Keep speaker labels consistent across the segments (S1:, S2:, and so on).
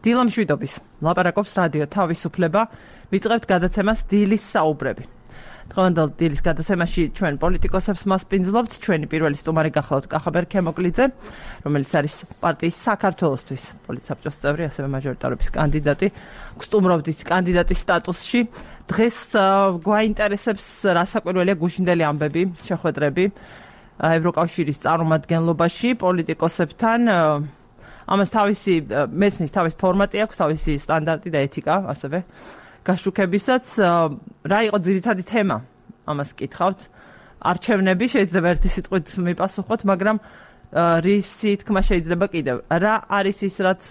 S1: დილამშვიდობის ლაპარაკობს რადიო თავისუფლება, ვიწყებთ გადაცემას დილის საუბრები. დღევანდელ დილის გადაცემაში ჩვენ პოლიტიკოსებს მასპინძლობთ, ჩვენი პირველი სტუმარი გახლავთ კახაბერ ქემოკლიძე, რომელიც არის პარტიის საქართველოსთვის პოლიტსაბჭოს წევრი, ასევე მაჟორიტარობის კანდიდატი. გსტუმრობდით კანდიდატის სტატუსში. დღეს გვაინტერესებს რა საკვირველია გუშინდელი ამბები, შეხვედრები ევროკავშირის წარმომადგენლობაში პოლიტიკოსებთან. ამას მესმის თავის ფორმატი აქვს, თავისი სტანდარტი და ეთიკა, ასევე გაშუქებისაც. რა იყო ძირითადი თემა? ამას კითხავთ. არჩევნები შეიძლება ერთი სიტყვით მიპასუხოთ, მაგრამ რისი თქმა შეიძლება კიდევ. რა არის ის, რაც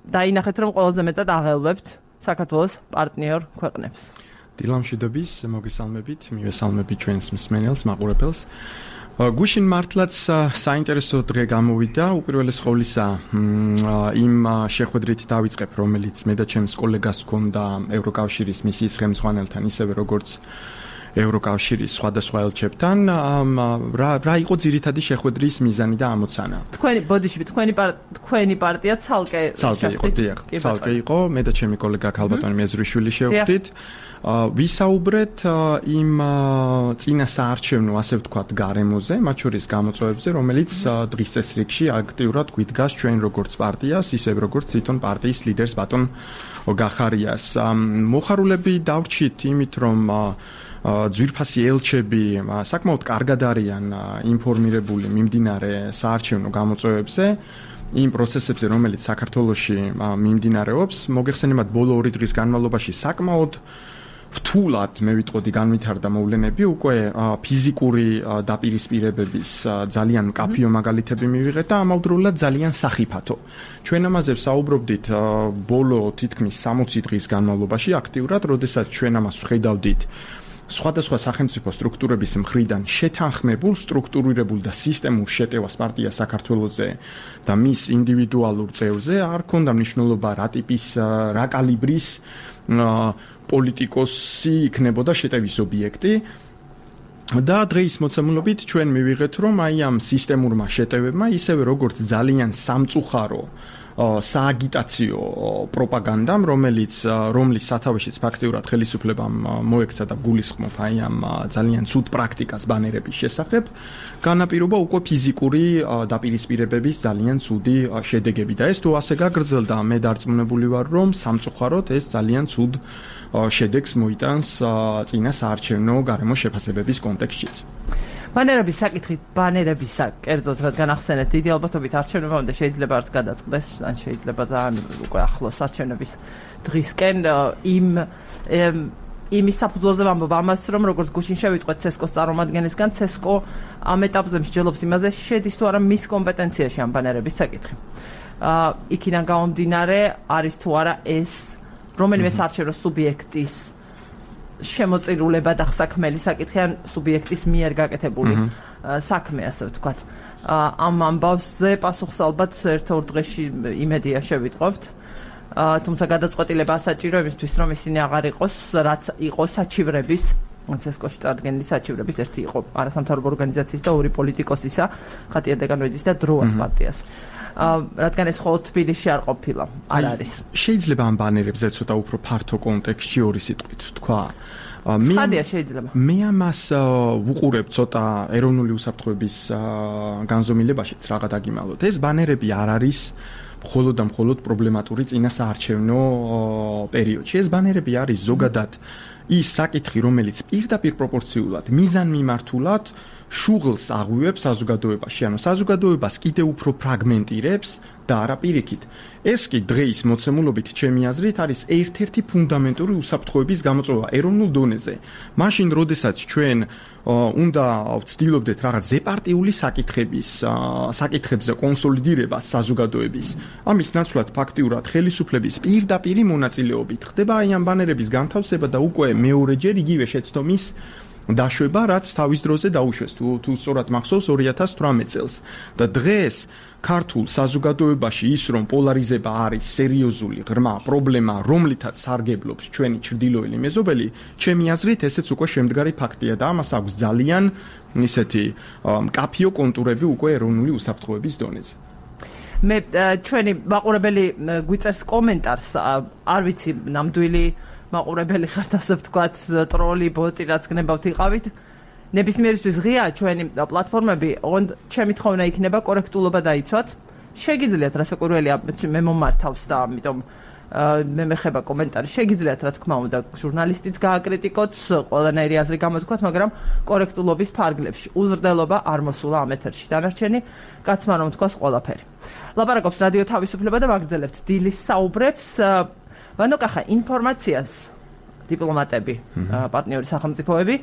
S1: დაინახეთ, რომ ყველაზე მეტად აღელვებთ საქართველოს პარტნიორ ქვეყნებს?
S2: დილამშვიდობის, მოგესალმებით, მივესალმებით ჩვენს მსმენელს, მაყურებელს. გუშინ მართლაც საინტერესო დღე გამოვიდა, უპირველეს ყოვლისა იმ შეხვედრით დავიწყებ, რომელიც მე და ჩემს კოლეგას ჰქონდა ევროკავშირის მისიის ხელმძღვანელთან, ისევე როგორც ევროკავშირის სხვადასხვა ელჩებთან. რა იყო ძირითადი შეხვედრის მიზანი და ამოცანა? თქვენი პარტია ცალკე იყო, მე და ჩემი კოლეგა ქალბატონი მეზრიშვილი შევხვდით. ვისაუბრეთ იმ წინა საარჩევნო, ასე ვთქვათ, გარემოზე, მათ შორის გამოწვევებზე, რომელიც დღის წესრიგში აქტიურად გვიდგას ჩვენ როგორც პარტიას, ისევ როგორც თვითონ პარტიის ლიდერს ბატონ გახარიას. მოხარულები დავრჩით იმით, რომ ძვირფასი ელჩები საკმაოდ კარგად არიან ინფორმირებული მიმდინარე საარჩევნო გამოწვევებზე, იმ პროცესებზე, რომელიც საქართველოში მიმდინარეობს. მოგეხსენებათ, ბოლო 2 დღის განმავლობაში საკმაოდ რთულად, მე ვიტყოდი, განვითარდა მოვლენები, უკვე ფიზიკური დაპირისპირებების ძალიან მკაფიო მაგალითები მივიღეთ და ამავდროულად ძალიან სახიფათო. ჩვენ ამაზე ვსაუბრობდით ბოლო თითქმის 60 დღის განმავლობაში აქტიურად, როდესაც ჩვენ ამას ვხედავდით სხვადასხვა სახელმწიფო სტრუქტურების მხრიდან შეთანხმებულ, სტრუქტურირებულ და სისტემურ შეტევას პარტია საქართველოზე და მის ინდივიდუალურ წევრზე არ ქონდა მნიშვნელობა რა ტიპის, რა კალიბრის პოლიტიკოსი იქნებოდა შეტევის ობიექტი. და დღეის მოცემულობით ჩვენ მივიღეთ, რომ აი ამ სისტემურმა შეტევებმა, ისევე როგორც ძალიან სამწუხარო სააგიტაციო პროპაგანდამ, რომლის სათავეშიც ფაქტიურად ხელისუფლებამ მოექცა და გულისხმობ აი ამ ძალიან ცუდ პრაქტიკას ბანერების შესახებ, განაპირობა უკვე ფიზიკური დაპირისპირებების ძალიან ცუდი შედეგები და ეს თუ ასე გაგრძელდა, მე დარწმუნებული ვარ, რომ სამწუხაროდ ეს ძალიან ცუდ შედეგს მოიტანს წინა საარჩევნო გარემოს შეფასებების კონტექსტშიც.
S1: ბანერებისა, კერძოდ რადგან ახსენეთ, დიდი ალბათობით არჩევნებამდე შეიძლება არ გადაწყდეს, ან შეიძლება ძალიან უკვე ახლოს არჩევნების დღისკენ იმის საფუძველზე ვამბობ ამას, რომ როგორც გუშინ შევიტყვეთ CESCO-ს წარმომადგენლისგან, CESCO ამ ეტაპზე მსჯელობს იმაზე, შედის თუ არა მის კომპეტენციაში ამ ბანერების საკითხი. იქიდან გამომდინარე, არის თუ არა ეს რომელიმე საარჩევნო სუბიექტის შემოწირულება და საქმელი საკითხი ან სუბიექტის მიერ გაკეთებული საქმე, ასე ვთქვათ. ამ ამბავზე პასუხს ალბათ ერთ-ორ დღეში იმედია შევიტყობთ. თუმცა გადაწყვეტილება ასაჭირო იმისთვის, რომ ისინი აღარ იყოს, რაც იყო საჩივრების, CESCO-ში წარდგენილი საჩივრების ერთი იყო არასამთავრობო ორგანიზაციის და 2 პოლიტიკოსისა, ხატია დეგანოიძის და დროას პარტიას. რადგან ეს მხოლოდ თბილისში არ ყოფილა, არ არის.
S2: შეიძლება ამ ბანერებზე ცოტა უფრო ფართო კონტექსტში 2 სიტყვით თქვა. მე ამას ვუყურებ ცოტა ეროვნული უსაფრთხოების განზომილებაშიც რაღა დაგიმალოთ. ეს ბანერები არ არის მხოლოდ და მხოლოდ პრობლემატური წინა საარჩევნო პერიოდში. ეს ბანერები არის ზოგადად ის საკითხი, რომელიც პირდაპირ პროპორციულად, მიზანმიმართულად შუღლს აღვივებს საზოგადოებაში, ანუ საზოგადოებას კიდევ უფრო ფრაგმენტირებს და არა პირიქით. ეს კი დღეის მოცემულობით ჩემი აზრით არის ერთ-ერთი ფუნდამენტური უსაფრთხოების გამოწვევა ეროვნულ დონეზე. მაშინ, როდესაც ჩვენ უნდა ვცდილობდეთ რაღაც ზეპარტიული საკითხებზე კონსოლიდირებას საზოგადოების, ამის ნაცვლად ფაქტიურად ხელისუფლების პირდაპირი მონაწილეობით ხდება აი ამ ბანერების განთავსება და უკვე მეორეჯერ იგივე შეცდომის დაშვება, რაც თავის დროზე დაუშვეს, თუ სწორად მახსოვს 2018 წელს. და დღეს ქართულ საზოგადოებაში ის, რომ პოლარიზება არის სერიოზული ღრმა პრობლემა, რომლითაც სარგებლობს ჩვენი ჩრდილოელი მეზობელი, ჩემი აზრით ესეც უკვე შემდგარი ფაქტია და ამას აქვს ძალიან ისეთი მკაფიო კონტურები უკვე ეროვნული უსაფრთხოების დონეზე.
S1: მე ჩვენი მაყურებელი გვიწერს კომენტარს, არ ვიცი, ნამდვილი მაყურებელი ხართ, ასე ვთქვათ, ტროლი, ბოტი, რაც გნებავთ იყავით. ნებისმიერისთვის ღია ჩვენი პლატფორმები, ოღონდ ჩემი თხოვნა იქნება კორექტულობა დაიცვათ. შეგიძლიათ რასაკვირველია მე მომართავს და ამიტომ მე მეხება კომენტარი. შეგიძლიათ რა თქმა უნდა ჟურნალისტიც გააკრიტიკოთ, ყველანაირი აზრი გამოთქვათ, მაგრამ კორექტულობის ფარგლებში უზრდელობა არ მოსულა ამ ეთერში. დანარჩენი კაცმა რომ თქვას ყველაფერი. ლაპარაკობს რადიო თავისუფლება და ვაგრძელებთ დილის საუბრებს. ვანოკახა ინფორმაციას დიპლომატები, პარტნიორი სახელმწიფოები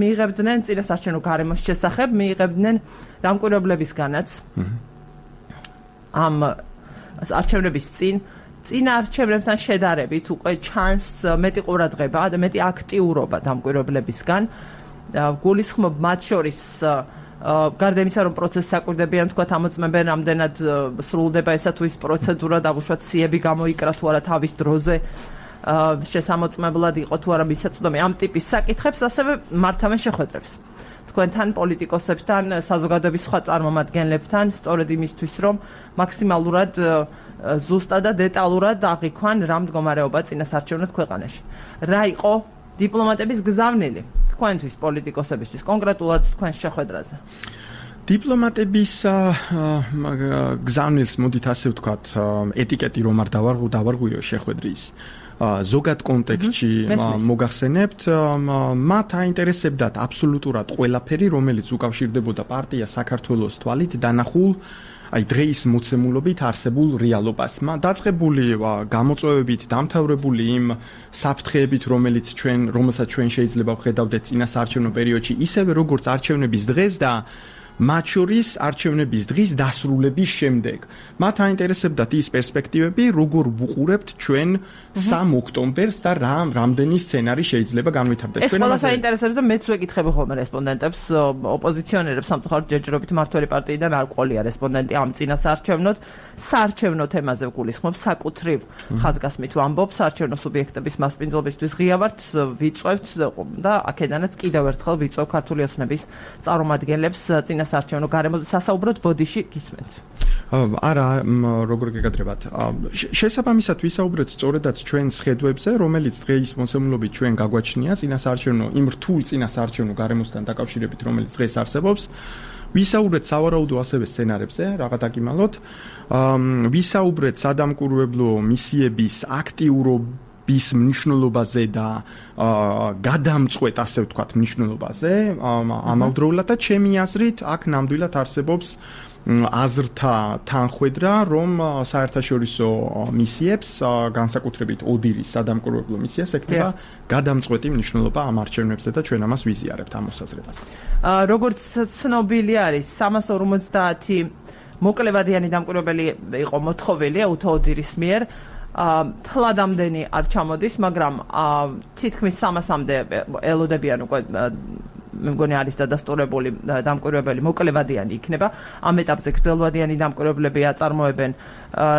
S1: მიიღებდნენ წინასარჩევნო გარემოს შესახებ, მიიღებდნენ დამკვირვებლებისგანაც ამ არჩევნების წინა არჩევნებთან შედარებით უკვე ჩანს მეტი ყურადღება და მეტი აქტიურობა დამკვირვებლებისგან. გულისხმობ მათ შორის გარდა იმისა, რომ პროცესს აკვირდებიან, თქვათ, ამოწმებენ, რამდენად სრულდება ესა თუ ის პროცედურა, დავუშვათ სიები გამოიკრა თუ არა თავის დროზე, შესამოწმებლად იყო თუ არა მისაწვდომი ამ ტიპის საკითხებს, ასევე მართავენ შეხვედრებს. თქვენთან პოლიტიკოსებთან, საზოგადოების სხვა წარმომადგენლებთან, სწორედ იმისთვის, რომ მაქსიმალურად ზუსტად და დეტალურად აღიქვან რა მდგომარეობა წინასარჩევნოდ ქვეყანაში. რა იყო დიპლომატების გზავნილი თქვენთვის პოლიტიკოსებისთვის, კონკრეტულად თქვენს შეხვედრაზე?
S2: დიპლომატების გზავნილს მოდით ასე ვთქვათ, ეტიკეტი რომ არ დავარღვიო შეხვედრის ზოგად კონტექსტში მოგახსენებთ, მათ აინტერესებდათ აბსოლუტურად ყველაფერი, რომელიც უკავშირდებოდა პარტია საქართველოს თვალით დანახულ აი დღეის მოცემულობით არსებულ რეალობას. დაწყებული გამოწვევებით, დამთავრებული იმ საფრთხეებით, რომელსაც ჩვენ შეიძლება ვხედავდეთ წინასაარჩევნო პერიოდში, ისევე როგორც არჩევნების დღეს და მათ შორის არჩევნების დღის დასრულების შემდეგ. მათ აინტერესებდათ ის პერსპექტივები, როგორ ვუყურებთ ჩვენ 3 ოქტომბერს და რამდენი სცენარი შეიძლება განვითარდეს.
S1: ეს ყველას აინტერესებს და მეც ვეკითხები ხოლმე რესპონდენტებს, ოპოზიციონერებს, სამწუხაროდ ჯერჯერობით მართველი პარტიიდან არ ყოლია რესპონდენტი ამ წინასაარჩევნოდ. საარჩევნო თემაზე ვგულისხმობ, საკუთრივ ხაზგასმით ვამბობ, საარჩევნო სუბიექტების მასპინძლობისთვის ღია ვართ, ვიწვევთ და აქედანაც კიდევ ერთხელ ვიწვევ ქართული ოცნების წარმომადგენლებს წინასაარჩევნო გარემოზე სასაუბროდ ბოდიში გისმენთ.
S2: არა, როგორ გეკადრებათ. შესაბამისად ვისაუბრეთ სწორედაც ჩვენს ხედვებზე, რომელიც დღეის მოსამულობით ჩვენ გაგვაჩნია წინასაარჩევნო იმ რთულ წინასაარჩევნო გარემოსთან დაკავშირებით, რომელიც დღეს არსებობს. ვისაუბრეთ სავარაუდო ასევე სცენარებზე, რაღაც აკიმალოთ. ვისაუბრეთ სადამკვირვებლო მისიების აქტიურობის მნიშვნელობაზე და გადამწყვეტ, ასე ვთქვათ, მნიშვნელობაზე. ამავდროულად და ჩემი აზრით, აქ ნამდვილად არსებობს აზრთა თანხვედრა, რომ საერთაშორისო მისიებს, განსაკუთრებით ოდირის სადამკვირვებლო მისიას ექნება გადამწყვეტი მნიშვნელობა ამ არჩევნებზე და ჩვენ ამას ვიზიარებთ ამ მოსაზრებას.
S1: როგორც ცნობილი არის, 350 მოკლევადიანი დამკვირვებელი იყო მოთხოვილი უთო-ოდირის მიერ. თლადამდენი არ ჩამოდის, მაგრამ თითქმის 300-მდე ელოდებიან უკვე მე მგონი არის დადასტურებული დამკვირვებელი მოკლევადიანი იქნება. ამ ეტაპზე გრძელვადიანი დამკვირვებლები აწარმოებენ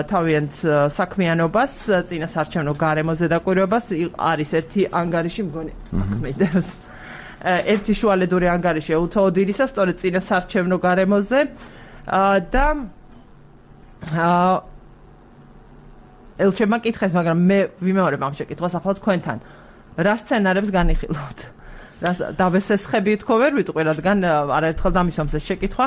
S1: თავიანთ საქმიანობას, წინასაარჩევნო გარემოზე დაკვირვებას. არის ერთი ანგარიში, მგონი მიდევს. ერთი შუალედური ანგარიში უთო-ოდირისა, სწორედ წინასაარჩევნო გარემოზე და ელჩებმა კითხეს, მაგრამ მე ვიმეორებ ამ შეკითხვას ახლა თქვენთან. რა სცენარებს განიხილავთ? დავესესხები თქო ვერ ვიტყვი, რადგან არაერთხელ დამისვამს ეს შეკითხვა.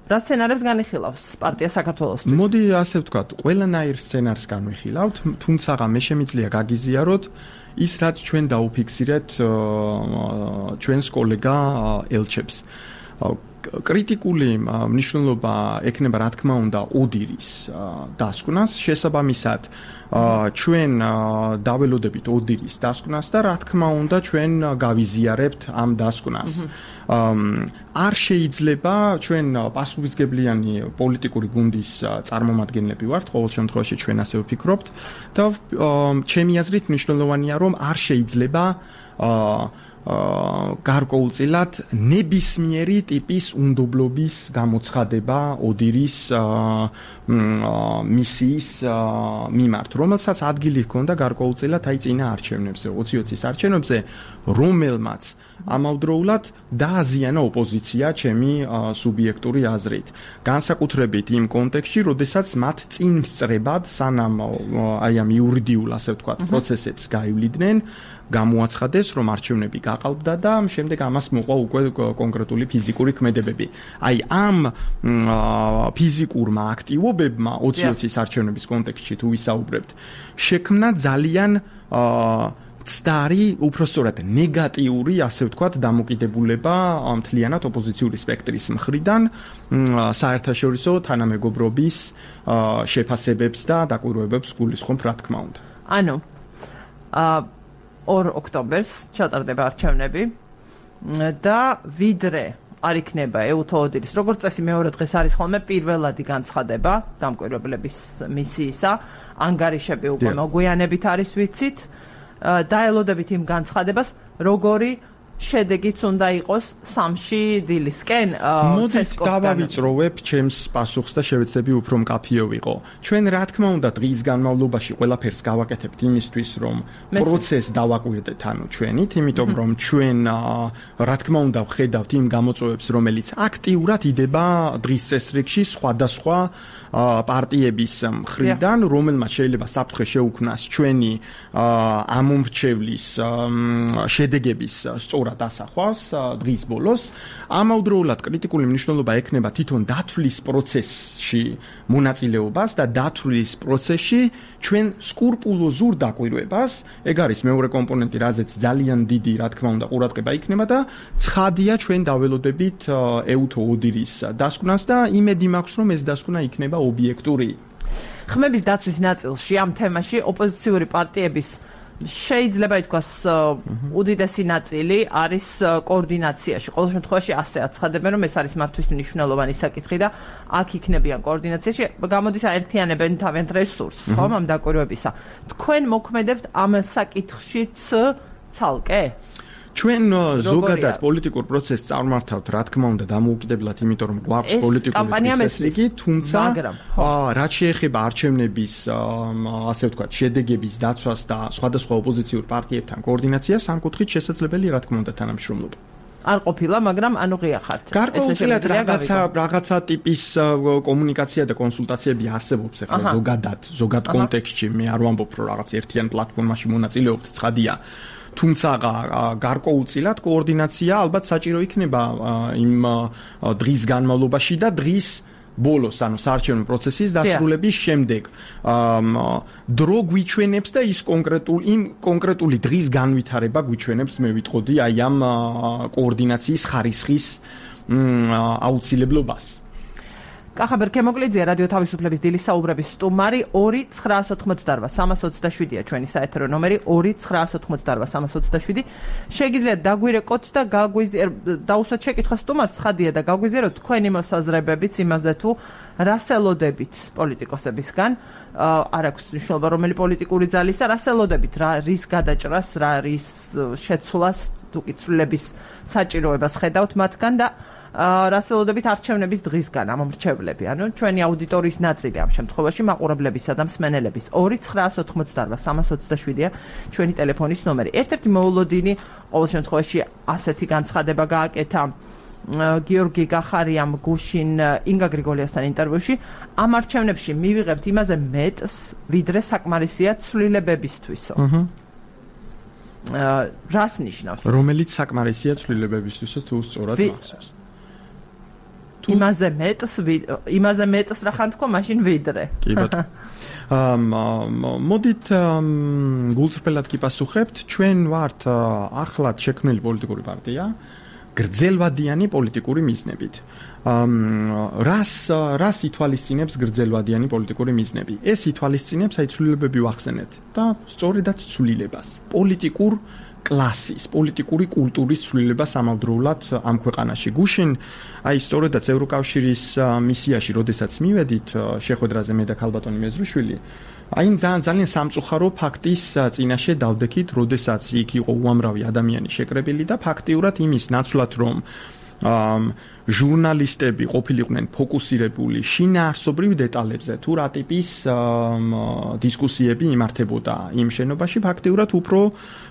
S1: რა სცენარებს განიხილავს პარტია საქართველოსთვის?
S2: მოდი ასე ვთქვათ, ყველანაირ სცენარს განვიხილავთ, თუმცა მე შემიძლია გაგიზიაროთ ის, რაც ჩვენ დაუფიქსირეთ ჩვენს კოლეგა ელჩებს. კრიტიკული მნიშვნელობა ექნება, რა თქმა უნდა, ოდირის დასკვნას, შესაბამისად ჩვენ დაველოდებით ოდირის დასკვნას და რა თქმა უნდა ჩვენ გავიზიარებთ ამ დასკვნას. არ შეიძლება ჩვენ პასუხისმგებლიანი პოლიტიკური გუნდის წარმომადგენლები ვართ, ყოველ შემთხვევაში ჩვენ ასე ვფიქრობთ და ჩემი აზრით მნიშვნელოვანია, რომ არ შეიძლება გარკვეულწილად ნებისმიერი ტიპის უნდობლობის გამოცხადება ოდირის მისიის მიმართ, რომელსაც ადგილი ჰქონდა გარკვეულწილად აი წინა არჩევნებზე, 2020-ის არჩევნებზე, რომელმაც ამავდროულად დააზიანა ოპოზიცია ჩემი სუბიექტური აზრით. განსაკუთრებით იმ კონტექსტში, როდესაც მათ წინ სწრებად, სანამ აი ამ იურიდიულ, ასე ვთქვათ, პროცესებს გაივლიდნენ, გამოაცხადეს, რომ არჩევნები გაყალბდა და შემდეგ ამას მოყვა უკვე კონკრეტული ფიზიკური ქმედებები. აი ამ ფიზიკურმა აქტივობებმა 2020-ის არჩევნების კონტექსტში თუ ვისაუბრებთ, შექმნა ძალიან ცდარი, უпростоრად ნეგატიური, ასე ვთქვათ, დამოკიდებულება მთლიანად ოპოზიციური სპექტრის მხრიდან საერთაშორისო თანამეგობრობის შეფასებებს და დაკვირვებებს გულისხმობ, რა თქმა უნდა.
S1: ანუ 2 ოქტომბერს ჩატარდება არჩევნები და ვიდრე არ იქნება ეუთოოდირის, როგორც წესი მეორე დღეს არის ხოლმე პირველადი განცხადება დამკვირვებლების მისიისა, ანგარიშები უკვე მოგვიანებით არის ვიცით. დაელოდებით იმ განცხადებას, როგორი შედეგიც უნდა იყოს სამში დილისკენ.
S2: მოდით დავავიწროვებ ჩემს პასუხს და შევეცდები უფრო მკაფიო ვიყო. ჩვენ რა თქმა უნდა დღის განმავლობაში ყველაფერს გავაკეთებთ იმისთვის, რომ პროცესს დავაკვირდეთ ანუ ჩვენით, იმიტომ რომ ჩვენ რა თქმა უნდა ვხედავთ იმ გამოწვევებს, რომელიც აქტიურად იდება დღის წესრიგში სხვადასხვა პარტიების მხრიდან, რომელმაც შეიძლება საფრთხე შეუქმნას ჩვენი ამომრჩევლის შედეგების სწორად ასახვას დღის ბოლოს. ამავდროულად კრიტიკული მნიშვნელობა ექნება თვითონ დათვლის პროცესში მონაწილეობას და დათვლის პროცესში ჩვენ სკრუპულოზურ დაკვირვებას. ეგ არის მეორე კომპონენტი, რაზეც ძალიან დიდი, რა თქმა უნდა, ყურადღება იქნება და ცხადია ჩვენ დაველოდებით ეუთოოდირის დასკვნას და იმედი მაქვს, რომ ეს დასკვნა იქნება ობიექტური.
S1: ხმების დაცვის ნაწილში ამ თემაში ოპოზიციური პარტიების შეიძლება ითქვას უდიდესი ნაწილი არის კოორდინაციაში. ყოველ შემთხვევაში ასე აცხადებენ, რომ ეს არის მათთვის მნიშვნელოვანი საკითხი და აქ იქნებიან კოორდინაციაში. გამოდის აერთიანებენ თავიანთ რესურსს, ხომ, ამ დაკვირვებისა. თქვენ მოქმედებთ ამ საკითხშიც ცალკე?
S2: ჩვენ ზოგადად პოლიტიკურ პროცესს წარმართავთ, რა თქმა უნდა, დამოუკიდებლად, იმიტომ რომ გვაქვს პოლიტიკური წესრიგი, თუმცა რაც შეეხება არჩევნების, ასე ვთქვათ, შედეგების დაცვას და სხვადასხვა ოპოზიციურ პარტიებთან კოორდინაციას, ამ კუთხით შესაძლებელი, რა თქმა უნდა, თანამშრომლობა.
S1: არ ყოფილა, მაგრამ ანუ ღია ხართ.
S2: გარკვეულწილად რაღაცა ტიპის კომუნიკაცია და კონსულტაციები არსებობს ახლა ზოგად კონტექსტში. მე არ ვამბობ, რომ რაღაც ერთიან პლატფორმაში მონაწილეობთ, ცხადია. თუმცა გარკვეულწილად კოორდინაცია ალბათ საჭირო იქნება იმ დღის განმავლობაში და დღის ბოლოს, ანუ საარჩევნო პროცესის დასრულების შემდეგ. დრო გვიჩვენებს და ის კონკრეტული დღის განვითარება გვიჩვენებს, მე ვიტყოდი, აი ამ კოორდინაციის ხარისხის აუცილებლობას.
S1: კახაბერ ქემოკლიძე, რადიო თავისუფლების დილის საუბრების სტუმარი. 2-988-327-ია ჩვენი საეთერო ნომერი, 2-988-327. შეგიძლიათ დაგვირეკოთ და დაუსვათ შეკითხვა სტუმარს, ცხადია და გაგვიზიაროთ თქვენი მოსაზრებებიც იმაზე, თუ რას ელოდებით პოლიტიკოსებისგან, არ აქვს მნიშვნელობა რომელი პოლიტიკური ძალისა, რას ელოდებით, რის გადაჭრას, რის შეცვლას, თუ კი ცვლილების საჭიროებას ხედავთ მათგან და რას ელოდებით არჩევნების დღისგან ამომრჩევლები, ანუ ჩვენი აუდიტორიის ნაწილი ამ შემთხვევაში მაყურებლებისა და მსმენელების. 2-988-327-ია ჩვენი ტელეფონის ნომერი. ერთ-ერთი მოულოდინი ყოველ შემთხვევაში ასეთი განცხადება გააკეთა გიორგი გახარიამ გუშინ ინგა გრიგოლიასთან ინტერვიუში. ამ არჩევნებში მივიღებთ იმაზე მეტს, ვიდრე საკმარისია ცვლილებებისთვისო. რას ნიშნავს?
S2: რომელიც საკმარისია ცვლილებებისთვისო, თუ სწორად მახსოვს.
S1: იმაზე მეტს რა ხან თქვა მაშინ ვიდრე.
S2: კი ბატონო. მოდით გულწრფელად კი პასუხებთ, ჩვენ ვართ ახლად შექმნილი პოლიტიკური პარტია, გრძელვადიანი პოლიტიკური მიზნებით. რას ითვალისწინებს გრძელვადიანი პოლიტიკური მიზნები? ეს ითვალისწინებს აი ცვლილებები ვახსენეთ და სწორედაც ცვლილებას. პოლიტიკურ კლასის, პოლიტიკური კულტურის ცვლილებას ამავდროულად ამ ქვეყანაში. გუშინ აი სწორედაც ევროკავშირის მისიაში, როდესაც მივედით შეხვედრაზე მე და ქალბატონი მეზრიშვილი, აი ძალიან სამწუხარო ფაქტის წინაშე დავდექით, როდესაც იქ იყო უამრავი ადამიანი შეკრებილი და ფაქტიურად იმის ნაცვლად რომ ჟურნალისტები ყოფილიყვნენ ფოკუსირებული შინაარსობრივ დეტალებზე, თუ რა ტიპის დისკუსიები იმართებოდა იმ შენობაში, ფაქტიურად უფრო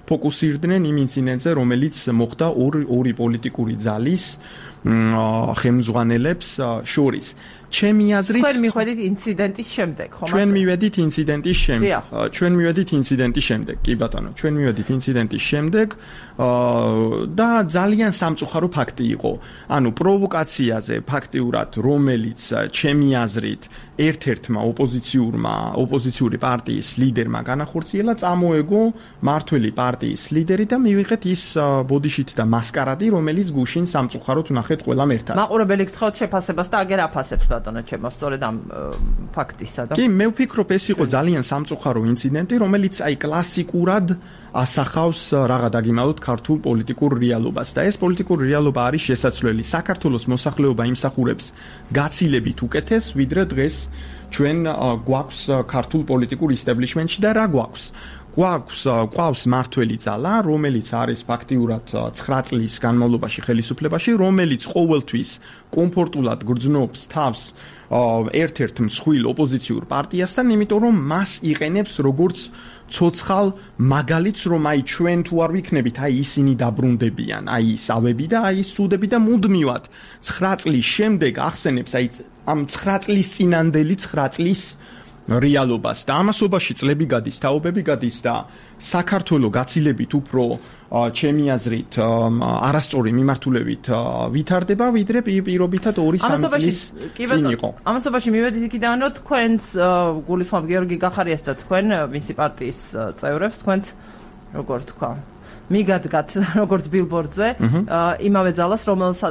S2: ფოკუსირდნენ იმ ინციდენტზე, რომელიც მოხდა ორი პოლიტიკური ძალის ხელმძღვანელებს შორის. ჩემი აზრით
S1: თქვენ მიხვედით ინციდენტის შემდეგ, ხომ?
S2: ჩვენ მივედით ინციდენტის შემდეგ, კი ბატონო, ჩვენ მივედით ინციდენტის შემდეგ და ძალიან სამწუხარო ფაქტი იყო. ანუ პროვოკაციაზე ფაქტიურად, რომელიც ჩემი აზრით ერთ-ერთმა ოპოზიციური პარტიის ლიდერმა განახორციელა, წამოეგო მართველი პარტიის ლიდერი და მივიღეთ ის ბოდიშით და მასკარადი, რომელიც გუშინ სამწუხაროდ ვნახეთ ყველამ ერთად.
S1: მაყურებელი გთხოვთ შეფასებას და აგერ აფასებს ბატონო ჩემო, სწორედ ამ ფაქტისა და
S2: კი, მე ვფიქრობ, ეს იყო ძალიან სამწუხარო ინციდენტი, რომელიც აი კლასიკურად ასახავს რაღა დაგიმალოთ ქართულ პოლიტიკურ რეალობას და ეს პოლიტიკური რეალობა არის შესაძლებელი საქართველოს მოსახლეობა იმსახურებს გაცილებით უკეთეს, ვიდრე დღეს ჩვენ გვაქვს ქართულ პოლიტიკურ ისტაბლიშმენტში და რა გვაქვს? გვაქვს მართველი ძალა, რომელიც არის ფაქტიურად 9 წლის განმავლობაში ხელისუფლებაში, რომელიც ყოველთვის კომფორტულად გრძნობს თავს ერთ-ერთ მსხვილ ოპოზიციურ პარტიასთან, იმიტომ რომ მას იყენებს როგორც ცოცხალ მაგალითს, რომ აი ჩვენ თუ არ ვიქნებით, აი ისინი დაბრუნდებიან, აი ის ავები და აი ის სუდები და მუდმივად 9 წლის შემდეგ ახსენებს აი ამ 9 წლის წინანდელი 9 წლის რეალობას და ამასობაში წლები გადის, თაობები გადის და საქართველო გაცილებით უფრო ჩემი აზრით არასწორი მიმართულებით ვითარდება, ვიდრე პირობითად 2-3 წლის წინ იყო.
S1: ამასობაში მივედით იქიდან, რომ თქვენს გულისხმობ გიორგი გახარიას და თქვენ მისი პარტიის წევრებს, თქვენს როგორ თქვა, მიგადგათ როგორც ბილბორდზე იმავე ძალას,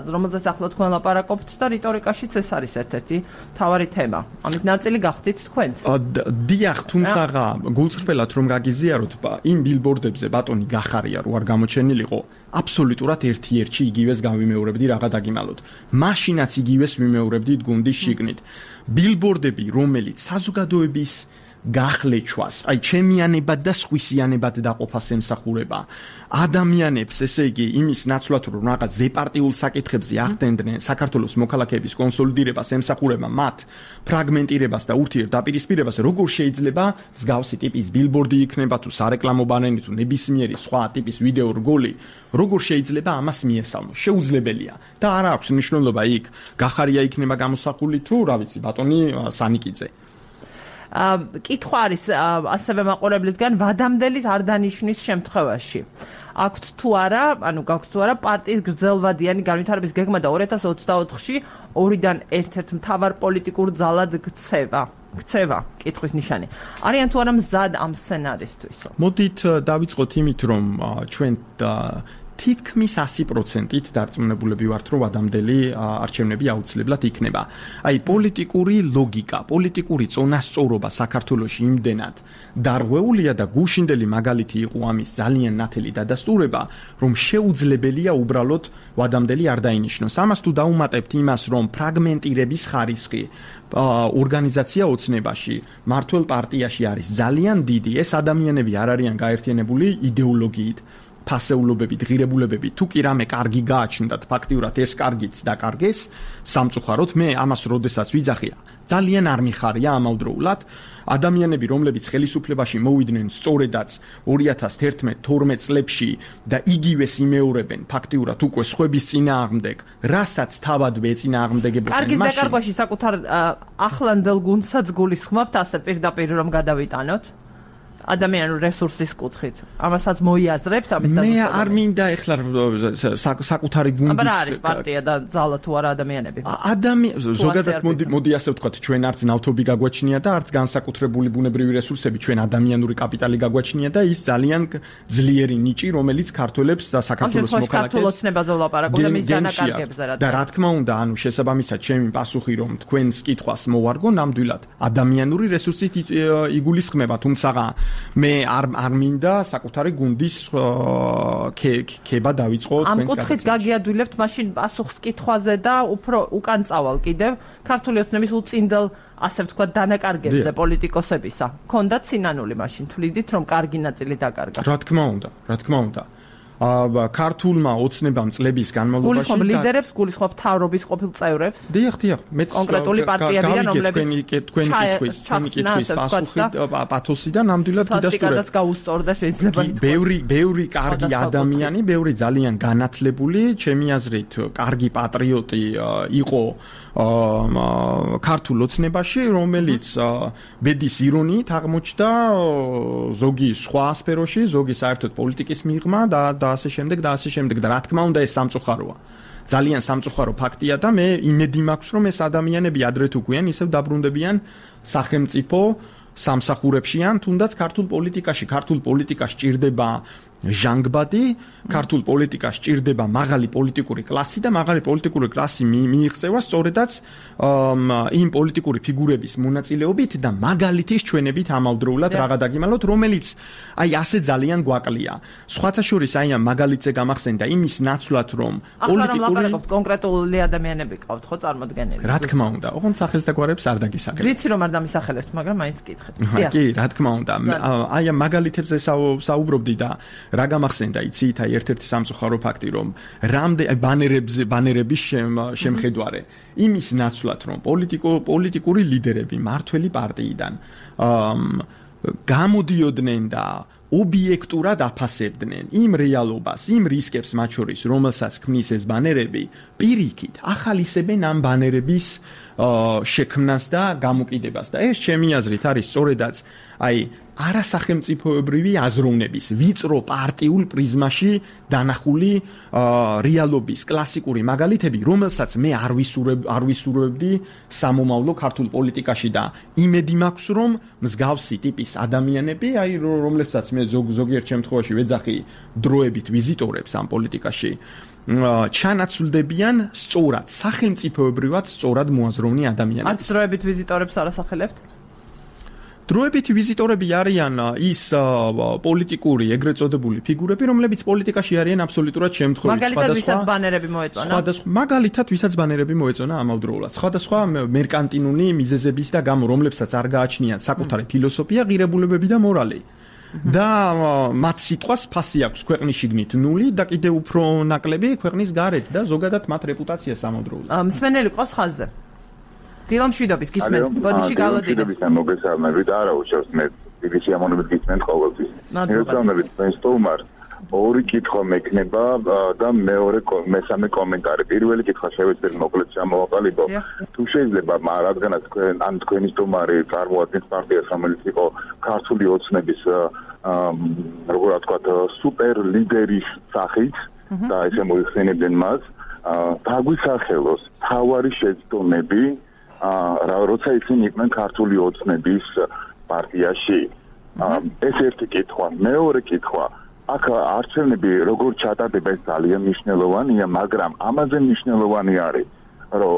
S1: რომელზეც ახლა თქვენ ლაპარაკობთ და რიტორიკაშიც ეს არის ერთ-ერთი მთავარი თემა. ამის ნაწილი გახდით თქვენც.
S2: დიახ, თუმცა გულწრფელად რომ გაგიზიაროთ, იმ ბილბორდებზე ბატონი გახარია რო არ გამოჩენილიყო, აბსოლუტურად ერთ-ერთი იგივეს გავიმეორებდი რაღა დაგიმალოთ. მაშინაც იგივეს ვიმეორებდით გუნდის შიგნით. ბილბორდები, რომელიც საზოგადოების გახლეჩვას, აი ჩემიანებად და სხვისიანებად დაყოფას ემსახურება. ადამიანებს, ესე იგი, იმის ნაცვლად რომ რაღაც ზეპარტიულ საკითხებზე ახდენდნენ საქართველოს მოქალაქეების კონსოლიდირებას, ემსახურება მათ ფრაგმენტირებას და ურთიერთდაპირისპირებას, როგორ შეიძლება მსგავსი ტიპის ბილბორდი იქნება თუ სარეკლამო ბანერი თუ ნებისმიერი სხვა ტიპის ვიდეო რგოლი, როგორ შეიძლება ამას მიესალმოს? შეუძლებელია და არა აქვს მნიშვნელობა იქ გახარია იქნება გამოსახული თუ რა ვიცი, ბატონი სანიკიძე.
S1: კითხვა არის ასევე მაყურებლისგან, ვადამდელის არ დანიშნვის შემთხვევაში აქვთ თუ არა, ანუ გაქვთ თუ არა პარტიის გრძელვადიანი განვითარების გეგმა და 2024-ში 2-დან ერთ-ერთ მთავარ პოლიტიკურ ძალად ქცევა, კითხვის ნიშანი. არიან თუ არა მზად ამ სცენარისთვის?
S2: მოდით დავიწყოთ იმით, რომ ჩვენ თითქმის 100%-ით დარწმუნებულები ვართ, რომ ვადამდელი არჩევნები აუცილებლად იქნება. აი პოლიტიკური ლოგიკა, პოლიტიკური წონასწორობა საქართველოში იმდენად დარღვეულია და გუშინდელი მაგალითი იყო ამის ძალიან ნათელი დადასტურება, რომ შეუძლებელია უბრალოდ ვადამდელი არ დაინიშნოს. ამას თუ დაუმატებთ იმას, რომ ფრაგმენტირების ხარისხი ორგანიზაცია ოცნებაში, მართველ პარტიაში არის ძალიან დიდი, ეს ადამიანები არ არიან გაერთიანებული იდეოლოგიით, ფასეულობებით, ღირებულებებით, თუ კი რამე კარგი გააჩნდათ, ფაქტიურად ეს კარგიც დაკარგეს, სამწუხაროდ მე ამას როდესაც ვიძახია, ძალიან არ მიხარია ამავდროულად ადამიანები, რომლებიც ხელისუფლებაში მოვიდნენ სწორედაც 2011-12 წლებში და იგივეს იმეორებენ, ფაქტიურად უკვე სხვების წინააღმდეგ, რასაც თავადვე ეწინააღმდეგებოდნენ
S1: მაშინ. კარგის დაკარგვაში საკუთარ ახლანდელ გუნდსაც გულისხმობთ, ასე პირდაპირ რომ გადავიტანოთ? ადამიანურ რესურსის კუთხით. ამასაც მოიაზრებთ ამის
S2: მე არ მინდა ეხლა საკუთარი გუნდის
S1: აბა არის პარტია და ძალა თუ არა ადამიანები.
S2: ზოგადად მოდი ასე ვთქვათ, ჩვენ არც ნავთობი გაგვაჩნია და არც განსაკუთრებული ბუნებრივი რესურსები, ჩვენ ადამიანური კაპიტალი გაგვაჩნია და ის ძალიან ძლიერი ნიჭი, რომელიც ქართველებს და საქართველოს მოქალაქეებს
S1: ქართულოცნებაზე ვლაპარაკობ და მის დანაკარგებზე
S2: და რა თქმა უნდა, ანუ შესაბამისად ჩემი პასუხი რომ თქვენს კითხვას მოვარგო, ნამდვილად ადამიანური რესურსით იგულისხმება, თუმცა მე არ მინდა საკუთარი გუნდის ქება დავიწყო
S1: თქვენს ამ კუთხით გაგიადვილებთ მაშინ პასუხს კითხვაზე და უფრო უკან წავალ კიდევ ქართული ოცნების უწინდელ ასე ვთქვათ დანაკარგებზე პოლიტიკოსებისა. ქონდათ სინანული მაშინ თვლიდით რომ კარგი ნაწილი დაკარგა.
S2: რა თქმა უნდა. ქართულმა ოცნებამ წლების განმავლობაში
S1: გულისხმობ ლიდერებს, გულისხმობ მთავრობის ყოფილ წევრებს.
S2: დიახ, მეც
S1: კონკრეტული პარტიებიდან რომლებიც
S2: თქვენი კითხვის პათოსი და ნამდვილად გიდასტურებ.
S1: სტატისტიკადაც გაუსწორდა შეიძლება ითქვას.
S2: ბევრი კარგი ადამიანი, ბევრი ძალიან განათლებული, ჩემი აზრით, კარგი პატრიოტი იყო ქართულ ოცნებაში, რომელიც ბედის ირონიით აღმოჩნდა ზოგი სხვა სფეროში, ზოგი საერთოდ პოლიტიკის მიღმა და ასე შემდეგ და რა თქმა უნდა ეს სამწუხაროა. ძალიან სამწუხარო ფაქტია და მე იმედი მაქვს რომ ეს ადამიანები ადრე თუ გვიან ისევ დაბრუნდებიან სახელმწიფო სამსახურებში ან თუნდაც ქართულ პოლიტიკაში ჭირდება ჟანგბადი, ქართულ პოლიტიკას ჭირდება მაღალი პოლიტიკური კლასი და მაღალი პოლიტიკური კლასი მიიღწევა სწორედაც იმ პოლიტიკური ფიგურების მონაწილეობით და მაგალითის ჩვენებით ამავდროულად რაღა დაგიმალოთ, რომელიც აი ასე ძალიან გვაკლია. სხვათა შორის აი ამ მაგალითზე გამახსენდა იმის ნაცვლად რომ
S1: პოლიტიკური კონკრეტული ადამიანები ყავთ ხო წარმოდგენილი.
S2: რა თქმა უნდა, ოღონდ სახელს და გვარებს არ დაგისახებთ.
S1: ვიცი რომ არ დამისახელებთ, მაგრამ მაინც გითხეთ.
S2: კი, რა თქმა უნდა. აი ამ მაგალითებზე საუბრობდი და რა გამახსენდა იცით აი ერთ-ერთი სამწუხარო ფაქტი რომ ბანერების შემხედვარე იმის ნაცვლად რომ პოლიტიკური ლიდერები მართველი პარტიიდან გამოდიოდნენ და ობიექტურად აფასებდნენ იმ რეალობას, იმ რისკებს მათ შორის, რომელსაც ქმნის ეს ბანერები, პირიქით ახალისებენ ამ ბანერების შექმნას და გამოკიდებას და ეს ჩემი აზრით არის სწორედაც აი არასახელმწიფოებრივი აზროვნების ვიწრო პარტიულ პრიზმაში დანახული რეალობის კლასიკური მაგალითები, რომელსაც მე არ ვისურვებდი სამომავლო ქართულ პოლიტიკაში და იმედი მაქვს რომ მსგავსი ტიპის ადამიანები, აი რომლებსაც მე ზოგიერთ შემთხვევაში ვეძახი დროებით ვიზიტორებს ამ პოლიტიკაში ჩანაცვლდებიან სწორად სახელმწიფოებრივად სწორად მოაზროვნე ადამიანები.
S1: არც დროებით ვიზიტორებს არ ასახელებთ?
S2: დროებითი ვიზიტორები არიან ის პოლიტიკური ეგრეთ წოდებული ფიგურები, რომლებიც პოლიტიკაში არიან აბსოლუტურად შემთხვევით.
S1: მაგალითად, ვისაც ბანერები მოეწონა.
S2: მაგალითად, ვისაც ბანერები მოეწონა ამავდროულად. სხვადასხვა მერკანტინული მიზეზების და გამო, რომლებსაც არ გააჩნიათ საკუთარი ფილოსოფია, ღირებულებები და მორალი. და მათ სიტყვას ფასი აქვს ქვეყნის შიგნით 0 და კიდევ უფრო ნაკლები ქვეყნის გარეთ და ზოგადად მათ რეპუტაცია სამავდროულად.
S1: მსმენელი ყავს ხაზზე. დილამშვიდობის გისმენთ. ბოდიში გალოდინა.
S3: მოგესალმებით, არა უშავს მე დიდი სიამოვნებით გისმენთ ყოველთვის. მოგესალმებით თქვენ სტუმარ. ორი კითხვა მექნება და მესამე კომენტარი. პირველი კითხვა შევეცდები მოკლედ ჩამოვაყალიბო. თუ შეიძლება, რადგანაც თქვენი სტუმარი წარმოადგენს პარტიას, რომელიც იყო ქართული ოცნების როგორ ვთქვათ, სუპერ ლიდერის სახით და ესე მოიხსენებდნენ მას, დაგვისახელოს თავარი შეცდომები როცა ისინი იყვნენ ქართული ოცნების პარტიაში. ეს ერთი კითხვა. მეორე კითხვა. აქ არჩევნები როგორ ჩატარდება ეს ძალიან მნიშვნელოვანია, მაგრამ ამაზე მნიშვნელოვანი არის, რომ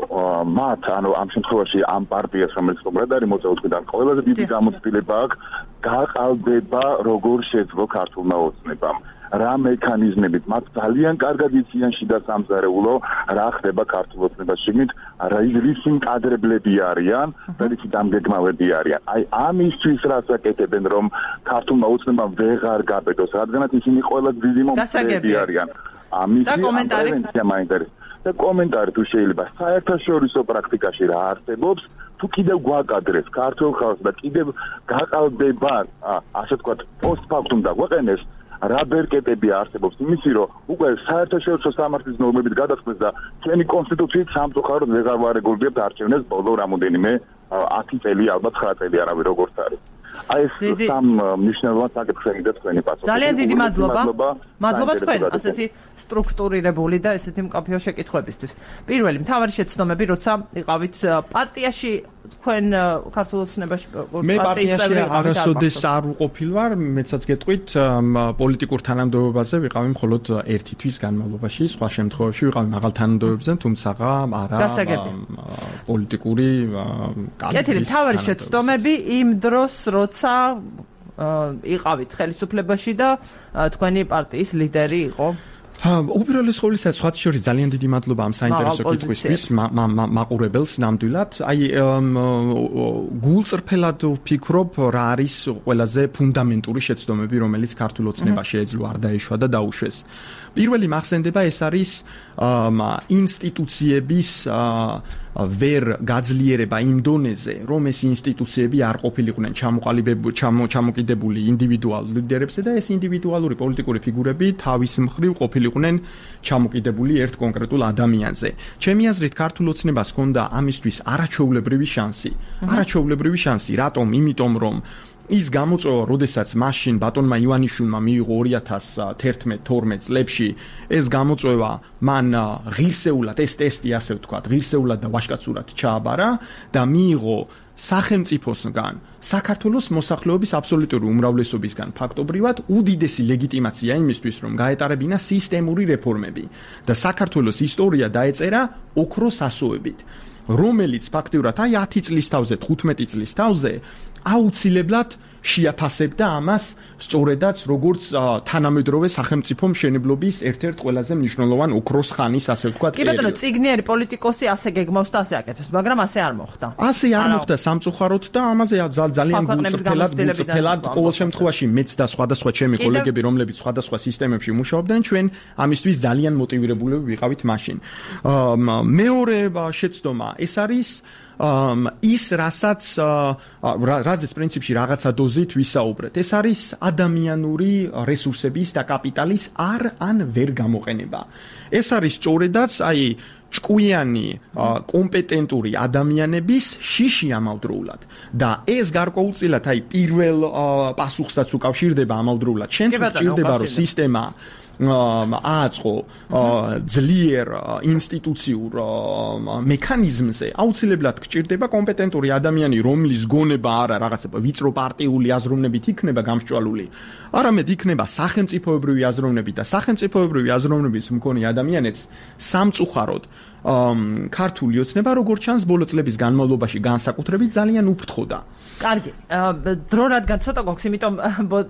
S3: მათ, ანუ ამ შემთხვევაში ამ პარტიას, რომელიც უბრალოდ არის მოწვევიდან ყველაზე დიდი გამოცდილება აქვს, გაყალბება როგორ შეძლო ქართულმა ოცნებამ. რა მექანიზმებით მათ ძალიან კარგად იციან შიდა სამზარეულო რა ხდება ქართულ ოცნებას შიგნით, რის კადრებლები არიან და რის დამგეგმავები არიან. აი ამისთვის რაც აკეთებენ რომ ქართულმა ოცნებამ ვეღარ გაბედოს, რადგანაც ისინი ყველა დიდი მომხრეები არიან. ამის პრევენცია მაინტერესებს. და კომენტარი თუ შეიძლება საერთაშორისო პრაქტიკაში რა არსებობს, თუ კიდევ გვაკადრეს ქართულ ხალხს და კიდევ გაყალბება, ასე ვთქვათ, პოსტფაქტუმ დაგვაყენეს რა ბერკეტები არსებობს იმისი, რომ უკვე საერთაშორისო სამართლის ნორმებით გადაწყვეტს და ჩვენი კონსტიტუციით სამწუხაროდ ვეღარ ვარეგულირებთ არჩევნებს ბოლო რამოდენიმე 10 წელი, ალბათ 9 წელი არავის როგორც არის. აი ეს სამ მნიშვნელოვან საკითხს ემიდა თქვენი პასუხი.
S1: ძალიან დიდი მადლობა. მადლობა თქვენ ასეთი სტრუქტურირებული და ესეთი მკაფიო შეკითხვებისთვის. პირველი მთავარი შეცდომები, როცა იყავით პარტიაში, თქვენ ქართულ ოცნებაში
S2: მე პარტიაში არასოდეს არ ვყოფილ ვარ, მეცაც გეტყვით, პოლიტიკურ თანამდებობაზე ვიყავი მხოლოდ ერთი თვის განმავლობაში, სხვა შემთხვევაში ვიყავი მაღალ თანამდებობებზე, თუმცა არა პოლიტიკური
S1: კეთილი მთავარი შეცდომები იმ დროს, როცა იყავით ხელისუფლებაში და თქვენი პარტიის ლიდერი იყო?
S2: უპირველეს ყოვლისა, სხვათა შორის ძალიან დიდი მადლობა ამ საინტერესო კითხვისთვის მაყურებელს ნამდვილად. აი გულწრფელად ვფიქრობ, რა არის ყველაზე ფუნდამენტური შეცდომები, რომელიც ქართულ ოცნებაში ეძლო არ დაეშვა და დაუშვეს. პირველი მახსენდება ეს არის ინსტიტუციების ვერ გაძლიერება იმ დონეზე, რომ ეს ინსტიტუციები არ ყოფილიყვნენ ჩამოკიდებული ინდივიდუალურ ლიდერებზე და ეს ინდივიდუალური პოლიტიკური ფიგურები თავის მხრივ ყოფილიყვნენ ჩამოკიდებული ერთ კონკრეტულ ადამიანზე. ჩემი აზრით, ქართულ ოცნებას ჰქონდა ამისთვის არაჩვეულებრივი შანსი. რატომ? იმიტომ რომ ის გამოწვევა, როდესაც მაშინ ბატონმა ივანიშვილმა მიიღო 2011-12 წლებში, ეს გამოწვევა მან ღირსეულად ეს ტესტი, ასე ვთქვათ, ღირსეულად და ვაჟკაცურად ჩააბარა და მიიღო სახელმწიფოსგან საქართველოს მოსახლეობის აბსოლუტური უმრავლესობისგან ფაქტობრივად უდიდესი ლეგიტიმაცია იმისთვის, რომ გაეტარებინა სისტემური რეფორმები და საქართველოს ისტორია დაეწერა ოქროს ასოებით, რომელიც ფაქტიურად აი 10 წლის თავზე, 15 წლის თავზე აუცილებლად შეაფასებდა ამას სწორედაც როგორც თანამედროვე სახელმწიფო მშენებლობის ერთ-ერთ ყველაზე მნიშვნელოვან ოქროს ხანის, ასე ვთქვათ,
S1: კი ბატონო, წიგნიერი პოლიტიკოსი ასე გეგმავს და ასე აკეთებს, მაგრამ ასე არ მოხდა.
S2: ასე არ მოხდა სამწუხაროდ და ამაზე ძალიან გულწრფელად ყოველ შემთხვევაში მეც და სხვადასხვა ჩემი კოლეგები, რომლებიც სხვადასხვა სისტემებში მუშაობდნენ, ჩვენ ამისთვის ძალიან მოტივირებულები ვიყავით მაშინ. მეორე შეცდომა ეს არის ის რაზეც პრინციპში რაღაცა დოზით ვისაუბრეთ. ეს არის ადამიანური რესურსების და კაპიტალის ან ვერ გამოყენება. ეს არის სწორედაც აი ჭკვიანი კომპეტენტური ადამიანების შიში ამავდროულად და ეს გარკვეულწილად აი პირველ პასუხსაც უკავშირდება ამავდროულად. შენ თუ გჭირდება რომ სისტემა ააწყო ძლიერ ინსტიტუციურ მექანიზმზე, აუცილებლად გჭირდება კომპეტენტური ადამიანი, რომლის გონება არა რაღაცა ვიწრო პარტიული აზროვნებით იქნება გამსჭვალული, არამედ იქნება სახელმწიფოებრივი აზროვნებით და სახელმწიფოებრივი აზროვნების მქონე ადამიანებს სამწუხაროდ ქართული ოცნება როგორც ჩანს ბოლო წლების განმავლობაში განსაკუთრებით ძალიან უფრთხოდა.
S1: კარგი, დრო რადგან ცოტა გვაქვს, იმიტომ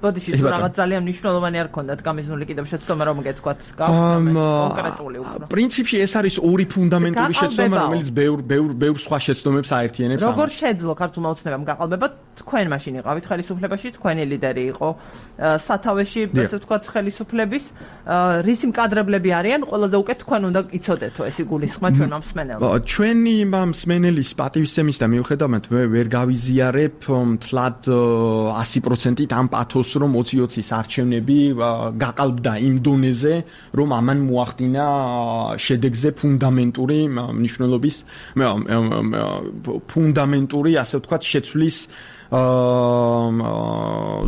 S1: ბოდიში თუ რაღაც ძალიან მნიშვნელოვანი არ ქონდათ გამიზნული კიდევ შეცდომა რომ გეთქვათ კონკრეტული უფრო.
S2: პრინციპში ეს არის ორი ფუნდამენტური შეცდომა, რომელიც ბევრ სხვა შეცდომებს აერთიანებს.
S1: როგორ შეძლო ქართულმა ოცნებამ გაყალბება? თქვენ მაშინ იყავით ხელისუფლებაში, თქვენი ლიდერი იყო სათავეში, ასე ვთქვათ, ხელისუფლების, რისი მკადრებლები არიან, ყველაზე უკეთ თქვენ უნდა იცოდეთო ეს იგულისხმა ჩვენ მსმენელს.
S2: ჩვენი მსმენელის პატივისცემის და მიუხედავად ვერ გავიზიარებ თლად 100%-ით ამ პათოსს, რომ 2020-ის არჩევნები გაყალბდა იმ დონეზე, რომ ამან მოახდინა შედეგზე ფუნდამენტური მნიშვნელობის ფუნდამენტური, ასე ვთქვათ, შეცვლის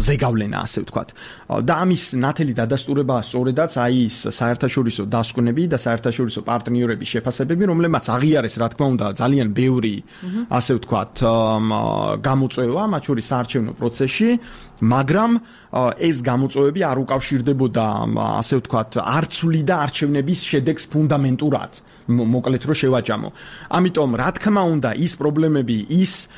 S2: ზეგავლენა, ასე ვთქვათ. და ამის ნათელი დადასტურება სწორედაც აი ის საერთაშორისო დასკვნები და საერთაშორისო პარტნიორების შეფასებები, რომლებმაც აღიარეს, რა თქმა უნდა, ძალიან ბევრი, ასე ვთქვათ, გამოწვევა, მათ შორის საარჩევნო პროცესში, მაგრამ ეს გამოწვევები არ უკავშირდებოდა, ასე ვთქვათ, არ ცვლიდა არჩევნების შედეგს ფუნდამენტურად. მოკლედ რომ შევაჯამო. ამიტომ, რა თქმა უნდა, ის პრობლემები, ის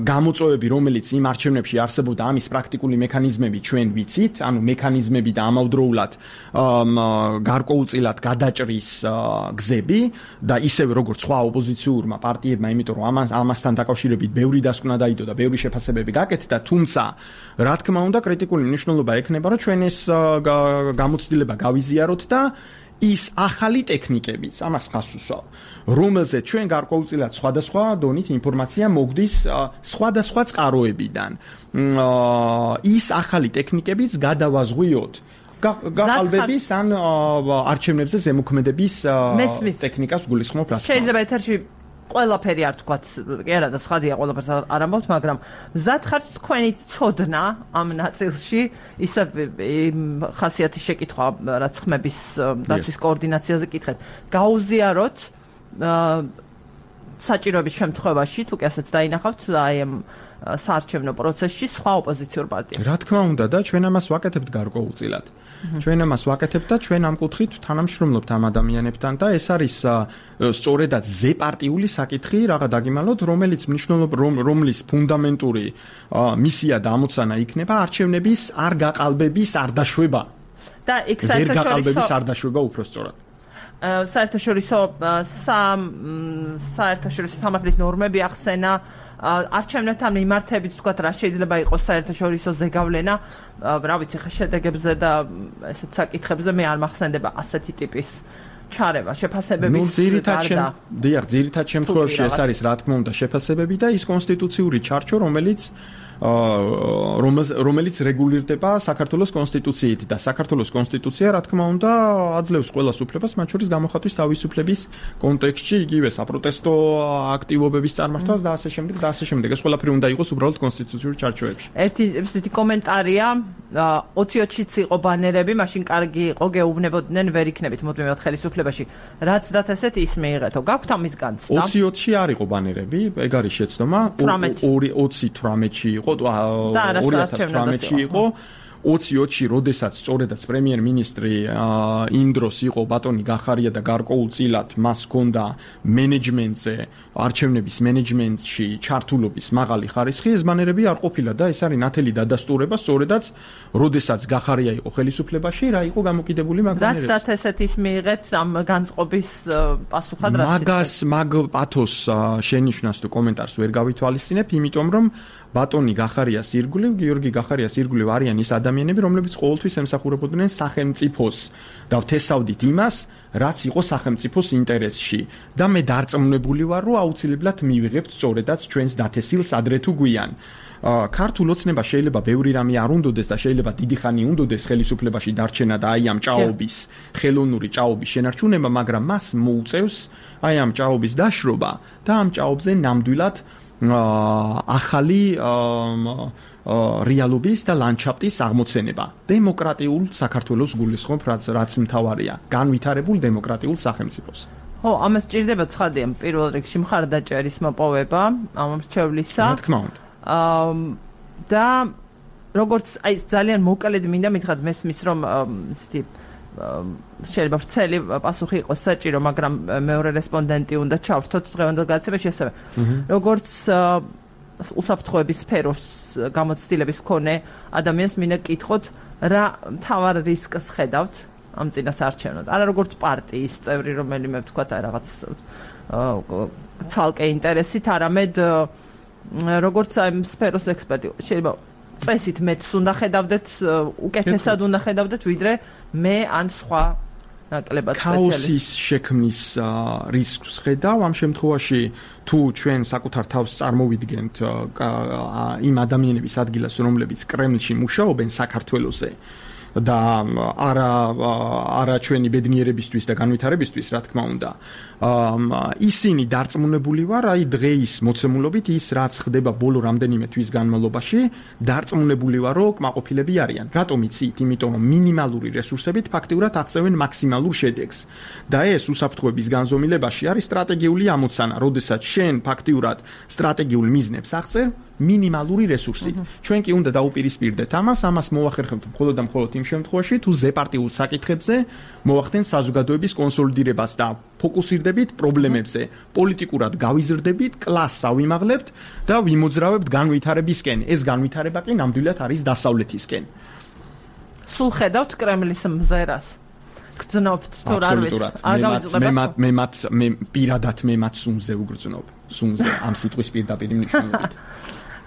S2: გამოწვევები, რომელიც იმ არჩევნებში არსებობდა, ამის პრაქტიკული მექანიზმები ჩვენ ვიცით, ანუ მექანიზმები და ამავდროულად გარკვეულწილად გადაჭრის გზები და ისევე როგორც სხვა ოპოზიციურმა პარტიებმა, იმიტომ რომ ამასთან დაკავშირებით ბევრი დასკვნა დაიდო და ბევრი შეფასებები გაკეთდა, თუმცა რა თქმა უნდა, კრიტიკული მნიშვნელობა ექნება, რომ ჩვენ ეს გამოცდილება გავიზიაროთ და ის ახალი ტექნიკებიც, ამას ხას უსვავ, რომელზეც ჩვენ გარკვეულწილად სხვადასხვა დონით ინფორმაცია მოგდის სხვადასხვა წყაროებიდან. ის ახალი ტექნიკებიც გადავაზღვიოთ გაყალბების ან არჩევნებზე ზემოქმედების ტექნიკას გულისხმობ.
S1: შეიძლება ეთერში ყველაფერი არ თქვათ, კი არა და სხადია ყველაფერს არ ამბობთ, მაგრამ მზად ხართ თქვენი ცოდნა ამ ნაწილში, ისე ხასიათის შეკითხვა, რაც ხმების დაცვის კოორდინაციაზე კითხეთ, გაუზიაროთ საჭიროების შემთხვევაში, თუ კი ასეც დაინახავთ, აი ამ საარჩევნო პროცესში სხვა ოპოზიციურ პარტიებს.
S2: რა თქმა უნდა და ჩვენ ამას ვაკეთებთ გარკვეულწილად. ჩვენ ამას ვაკეთებთ და ჩვენ ამ კუთხით თანამშრომლობთ ამ ადამიანებთან და ეს არის სწორედაც ზეპარტიული საკითხი, რაღა დაგიმალოთ, რომელიც რომლის ფუნდამენტური მისია და ამოცანა იქნება არჩევნების არ გაყალბების არ დაშვება.
S1: და იქ საერთაშორისო
S2: არ დაშვება უბრალოდ.
S1: საერთაშორისო სამართლის ნორმები ახსენა არჩევნებთან მიმართებით თქვათ რა შეიძლება იყოს საერთაშორისო ზეგავლენა, რა ვიცი ხა შედეგებზე და ესეთ საკითხებზე მე არ მახსენდება ასეთი ტიპის ჩარევა, შეფასებების გარდა.
S2: ძირითად შემთხვევაში ეს არის რა თქმა უნდა შეფასებები და ის კონსტიტუციური ჩარჩო, რომელიც რეგულირდება საქართველოს კონსტიტუციით და საქართველოს კონსტიტუცია რა თქმა უნდა აძლევს ყველას უფლებას, მათ შორის გამოხატვის თავისუფლების კონტექსტში, იგივე საპროტესტო აქტივობების წარმართვას და ასე შემდეგ და ასე შემდეგ. ეს ყველაფერი უნდა იყოს უბრალოდ კონსტიტუციური ჩარჩოებში.
S1: ერთი კომენტარია 20-ში იყო ბანერები, მაშინ კარგი იყო, გეუბნებოდნენ, ვერ იქნებით მუდმივად ხელისუფლებაში. რაც დათესეთ ის მიიღეთო. გაქვთ ამის განცდა?
S2: 20-ში არ იყო ბანერები, ეგ არის შეცდომა. 2018-ში იყო 2018-ში იყო 20-ში, როდესაც სწორედაც პრემიერ-მინისტრი იმ დროს იყო ბატონი გახარია და გარკვეულწილად მას ჰქონდა მენეჯმენტზე, არჩევნების მენეჯმენტში ჩართულობის მაღალი ხარისხი, ეს ბანერები არ ყოფილა და ეს არის ნათელი დადასტურება, სწორედაც როდესაც გახარია იყო ხელისუფლებაში, რა იყო გამოკიდებული მაგ ბანერებზე.
S1: რაც დათესეთ ის მიიღეთ ამ განწყობის პასუხად რაც
S2: მაგ პათოს შენიშვნას თუ კომენტარს ვერ გავითვალისწინებ, იმიტომ რომ ბატონი გახარიას ირგვლივ, გიორგი გახარიას ირგვლივ არიან ის ადამიანები, რომლებიც ყოველთვის ემსახურებოდნენ სახელმწიფოს და ვთესავდით იმას, რაც იყო სახელმწიფოს ინტერესში. და მე დარწმუნებული ვარ, რომ აუცილებლად მივიღებთ სწორედაც ჩვენს დათესილს ადრე თუ გვიან. ქართულ ოცნება შეიძლება ბევრი რამე არ უნდოდეს და შეიძლება დიდი ხანი უნდოდეს ხელისუფლებაში დარჩენა და აი ამ ჭაობის, ხელოვნური ჭაობის შენარჩუნება, მაგრამ მას მოუწევს აი ამ ჭაობის დაშრობა და ამ ჭაობზე ნამდვილად ახალი რეალობის და ლანდშაფტის აღმოცენება. დემოკრატიულ საქართველოს გულისხმობ, რაც მთავარია, განვითარებულ დემოკრატიულ სახელმწიფოს.
S1: ხო, ამას ჭირდება ცხადია პირველ რიგში მხარდაჭერის მოპოვება ამ მრჩევლისა.
S2: რა თქმა უნდა.
S1: და როგორც აი ძალიან მოკლედ მინდა მითხრათ მესმის რომ ისეთი შეიძლება ვრცელი პასუხი იყოს საჭირო, მაგრამ მეორე რესპონდენტი უნდა ჩავრთოთ დღევანდელ გადაცემაში ასევე. როგორც უსაფრთხოების სფეროს გამოცდილების მქონე ადამიანს მინდა კითხოთ, რა მთავარ რისკს ხედავთ ამ წინასაარჩევნოდ? არა როგორც პარტიის წევრი, რომელიმე ვთქვათ აი რაღაც ცალკე ინტერესით, არამედ როგორც აი სფეროს ექსპერტი. შეიძლება წესით მეც უნდა ხედავდეთ, უკეთესად უნდა ხედავდეთ, ვიდრე მე ან სხვა ნაკლებად სპეციალისტი.
S2: ქაოსის შექმნის რისკს ხედავ ამ შემთხვევაში, თუ ჩვენ საკუთარ თავს წარმოვიდგენთ იმ ადამიანების ადგილას, რომლებიც კრემლში მუშაობენ საქართველოზე და არა ჩვენი ბედნიერებისთვის და განვითარებისთვის, რა თქმა უნდა. ისინი დარწმუნებული ვარ, აი დღეის მოცემულობით ის რაც ხდება ბოლო რამდენიმე თვის განმავლობაში, დარწმუნებული ვარ, რომ კმაყოფილები არიან. რატომ იცით? იმიტომ რომ მინიმალური რესურსებით ფაქტიურად აღწევენ მაქსიმალურ შედეგს. და ეს უსაფრთხოების განზომილებაში არის სტრატეგიული ამოცანა, როდესაც შენ ფაქტიურად სტრატეგიულ მიზნებს აღწევ მინიმალური რესურსით. ჩვენ კი უნდა დაუპირისპირდეთ ამას მოახერხებთ მხოლოდ და მხოლოდ იმ შემთხვევაში, თუ ზეპარტიულ საკითხებზე მოახდენთ საზოგადოების კონსოლიდირებას და ფოკუსირდებით პრობლემებზე, პოლიტიკურად გავიზრდებით, კლასს ავიმაღლებთ და ვიმოძრავებთ განვითარებისკენ. ეს განვითარება კი ნამდვილად არის დასავლეთისკენ.
S1: სულ ხედავთ კრემლის მზერას? გრძნობთ თუ რა ვიცი?
S2: მე პირადად მათ სუნზე ვგრძნობ. სუნზე ამ სიტყვის პირდაპირ მნიშვნელობით.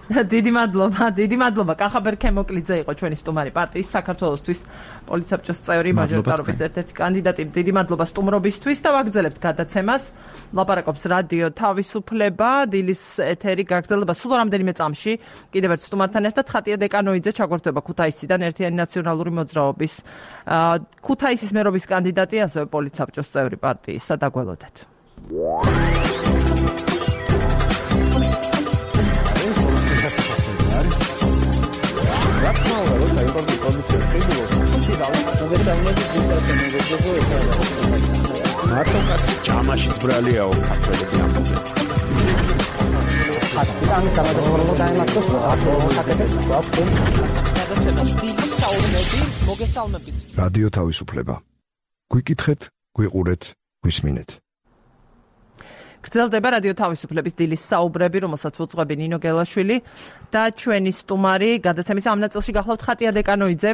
S1: დიდი მადლობა. კახაბერ ქემოკლიძე იყო ჩვენი სტუმარი პარტიის საქართველოსთვის პოლიცაბჭოს წევრი მაჟორიტარობის ერთ-ერთი კანდიდატი. დიდი მადლობა სტუმრობისთვის და ვაგრძელებთ გადაცემას. ლაპარაკობს რადიო თავისუფლება, დილის ეთერი გაგრძელდება სულ რამდენიმე წამში. კიდევ ერთ სტუმართან ერთად ხატია დეკანოიძე ჩაგვერთვება ქუთაისიდან ერთიანი ნაციონალური მოძრაობის ქუთაისის მერობის კანდიდატი, ასევე პოლიცაბჭოს წევრი პარტიისა. დაგველოდეთ.
S4: მარტო კაცი ჭამაშიც ბრალიაო ქართველები ამბობენ. ამის დამადროულად დაემართოს აქტუალურ
S5: მოგესალმებით. რადიო თავისუფლება. გვიკითხეთ, გვიყურეთ, გვისმინეთ.
S1: გრძელდება რადიო თავისუფლების დილის საუბრები, რომელსაც უძღვები ნინო გელაშვილი და ჩვენი სტუმარი გადაცემის ამ ნაწილში გახლავთ ხატია დეკანოიძე,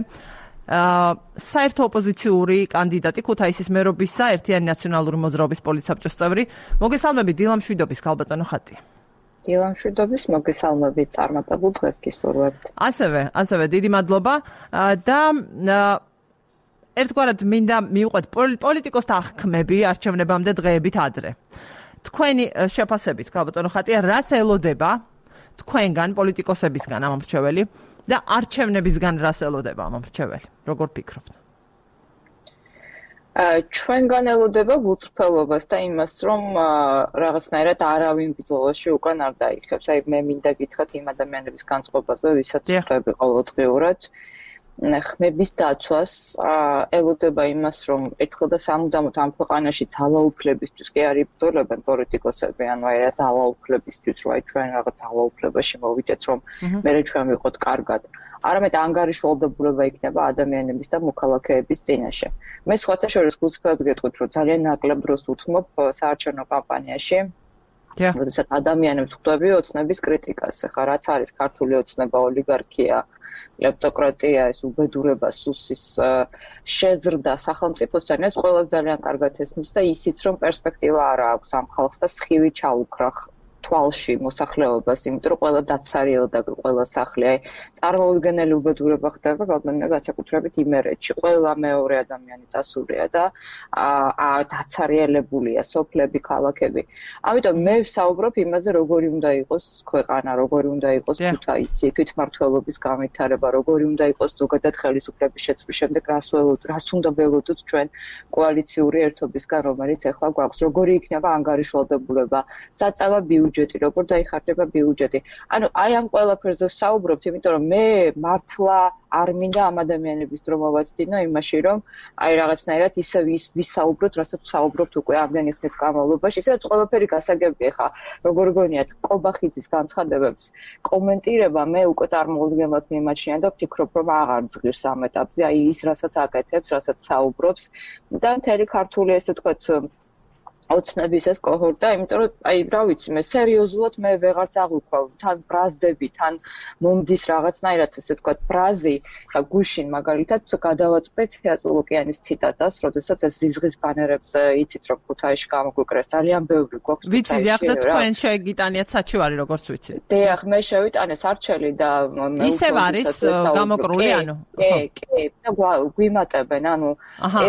S1: საერთო ოპოზიციური კანდიდატი ქუთაისის მერობისა ერთიანი ნაციონალური მოძრაობის პოლიტსაბჭოს წევრი. მოგესალმებით დილა მშვიდობის ქალბატონო ხატია.
S6: დილა მშვიდობის, მოგესალმებით წარმატებულ დღეს გისურვებთ.
S1: ასევე დიდი მადლობა და ერთგვარად მინდა მივყვეთ პოლიტიკოსთა აღქმები არჩევნებამდე დღეებით ადრე. თქვენი შეფასებით, ქალბატონო ხატია, რას ელოდება თქვენგან პოლიტიკოსებისგან ამ მრჩეველი და არჩევნებისგან რას ელოდება ამ მრჩეველი? როგორ ფიქრობთ?
S6: ჩვენგან ელოდება გულწრფელობას და იმას, რომ რაღაცნაირად არავინ ბრძოლაში უკან არ დაიხევს. აი მე მინდა გითხრათ იმ ადამიანების განწყობაზე, ვისაც ხვდები ყოველდღიურად. ხმების დაცვას ელოდება იმას, რომ ერთხელ და სამუდამოდ ამ ქვეყანაში ძალაუფლებისთვის კი არ იბრძოლებენ პოლიტიკოსები, ანუ აი რა ძალაუფლებისთვის, რომ აი ჩვენ რაღაც ძალაუფლებაში მოვიდეთ, რომ მერე ჩვენ ვიყოთ კარგად. არამედ ანგარიშვალდებულება იქნება ადამიანების და მოქალაქეების წინაშე. მე სხვათა შორის გულწრფელად გეტყვით, რომ ძალიან ნაკლებ დროს უთმობ საარჩევნო კამპანიაში. როდესაც ადამიანებს ხვდები ოცნების კრიტიკას, ხა რაც არის ქართული ოცნება, ოლიგარქია, ლეპტოკრატია, ეს უბედურება, სუსის შეზრდა სახელმწიფოსთან, ეს ყველას ძალიან კარგად ესმის და ისიც რომ პერსპექტივა არ აქვს ამ ხალხს და სხივი ჩაუქრა თვალში მოსახლეობას, იმიტომ რომ ყველა დაცარიელდა ყველა სახლი, აი წარმოუდგენელი უბედურება ხდება გალბანია განსაკუთრებით იმერეთში. ყველა მეორე ადამიანი წასულია და დაცარიელებულია სოფლები, ქალაქები. ამიტომ მე ვსაუბრობ იმაზე, როგორი უნდა იყოს ქვეყანა, როგორი უნდა იყოს ქუთაისი, თვითმმართველობის განვითარება, როგორი უნდა იყოს ზოგადად ხელისუფლების შეცვლის შემდეგ რას უნდა ველოდოთ ჩვენ კოალიციური ერთობისგან, რომელიც ახლა გვაქვს, როგორი იქნება ანგარიშვალდებულება, საწავა ბიუჯეტი, როგორ დაიხარჯება ბიუჯეტი. ანუ აი ამ ყველაფერზე ვსაუბრობთ, იმიტომ რომ მე მართლა არ მინდა ამ ადამიანების დრო მოვაცდინო იმაში, რომ აი რაღაცნაირად ისე ვისაუბროთ, რასაც ვსაუბრობთ უკვე ამდენი ხნის განმავლობაში, ისედაც ყველაფერი გასაგებია ხა, როგორ გონიათ ყობახიძის განცხადებებს კომენტირება მე უკვე წარმოუდგენლად მიმაჩნია და ვფიქრობ, რომ აღარ ზღირს ამ ეტაპზე, აი ის რასაც აკეთებს, რასაც საუბრობს და მთელი ქართული ესე ვთქვათ ოცნების ეს კოჰორტა, იმიტომ რომ აი რა ვიცი, მე სერიოზულად მე ვეღარც აღვიქვავ, თან ბრაზდები, თან მომდის რაღაცნაირად ესე ვთქვათ ბრაზი და გუშინ მაგალითად გადავაწყდეთ თეატრულოკიანის ციტატას, როდესაც ეს ზიზღის ბანერებზე იცით რომ ქუთაისში გამოგვიკრეს ძალიან ბევრი გვაქვს.
S1: ვიცი, დიახ და თქვენ შეგიტანიათ საჩივარი როგორც ვიცი.
S6: დიახ, მე შევიტანე სარჩელი და
S1: ისევ არის გამოკრული, ანუ
S6: კი, და გვიმატებენ, ანუ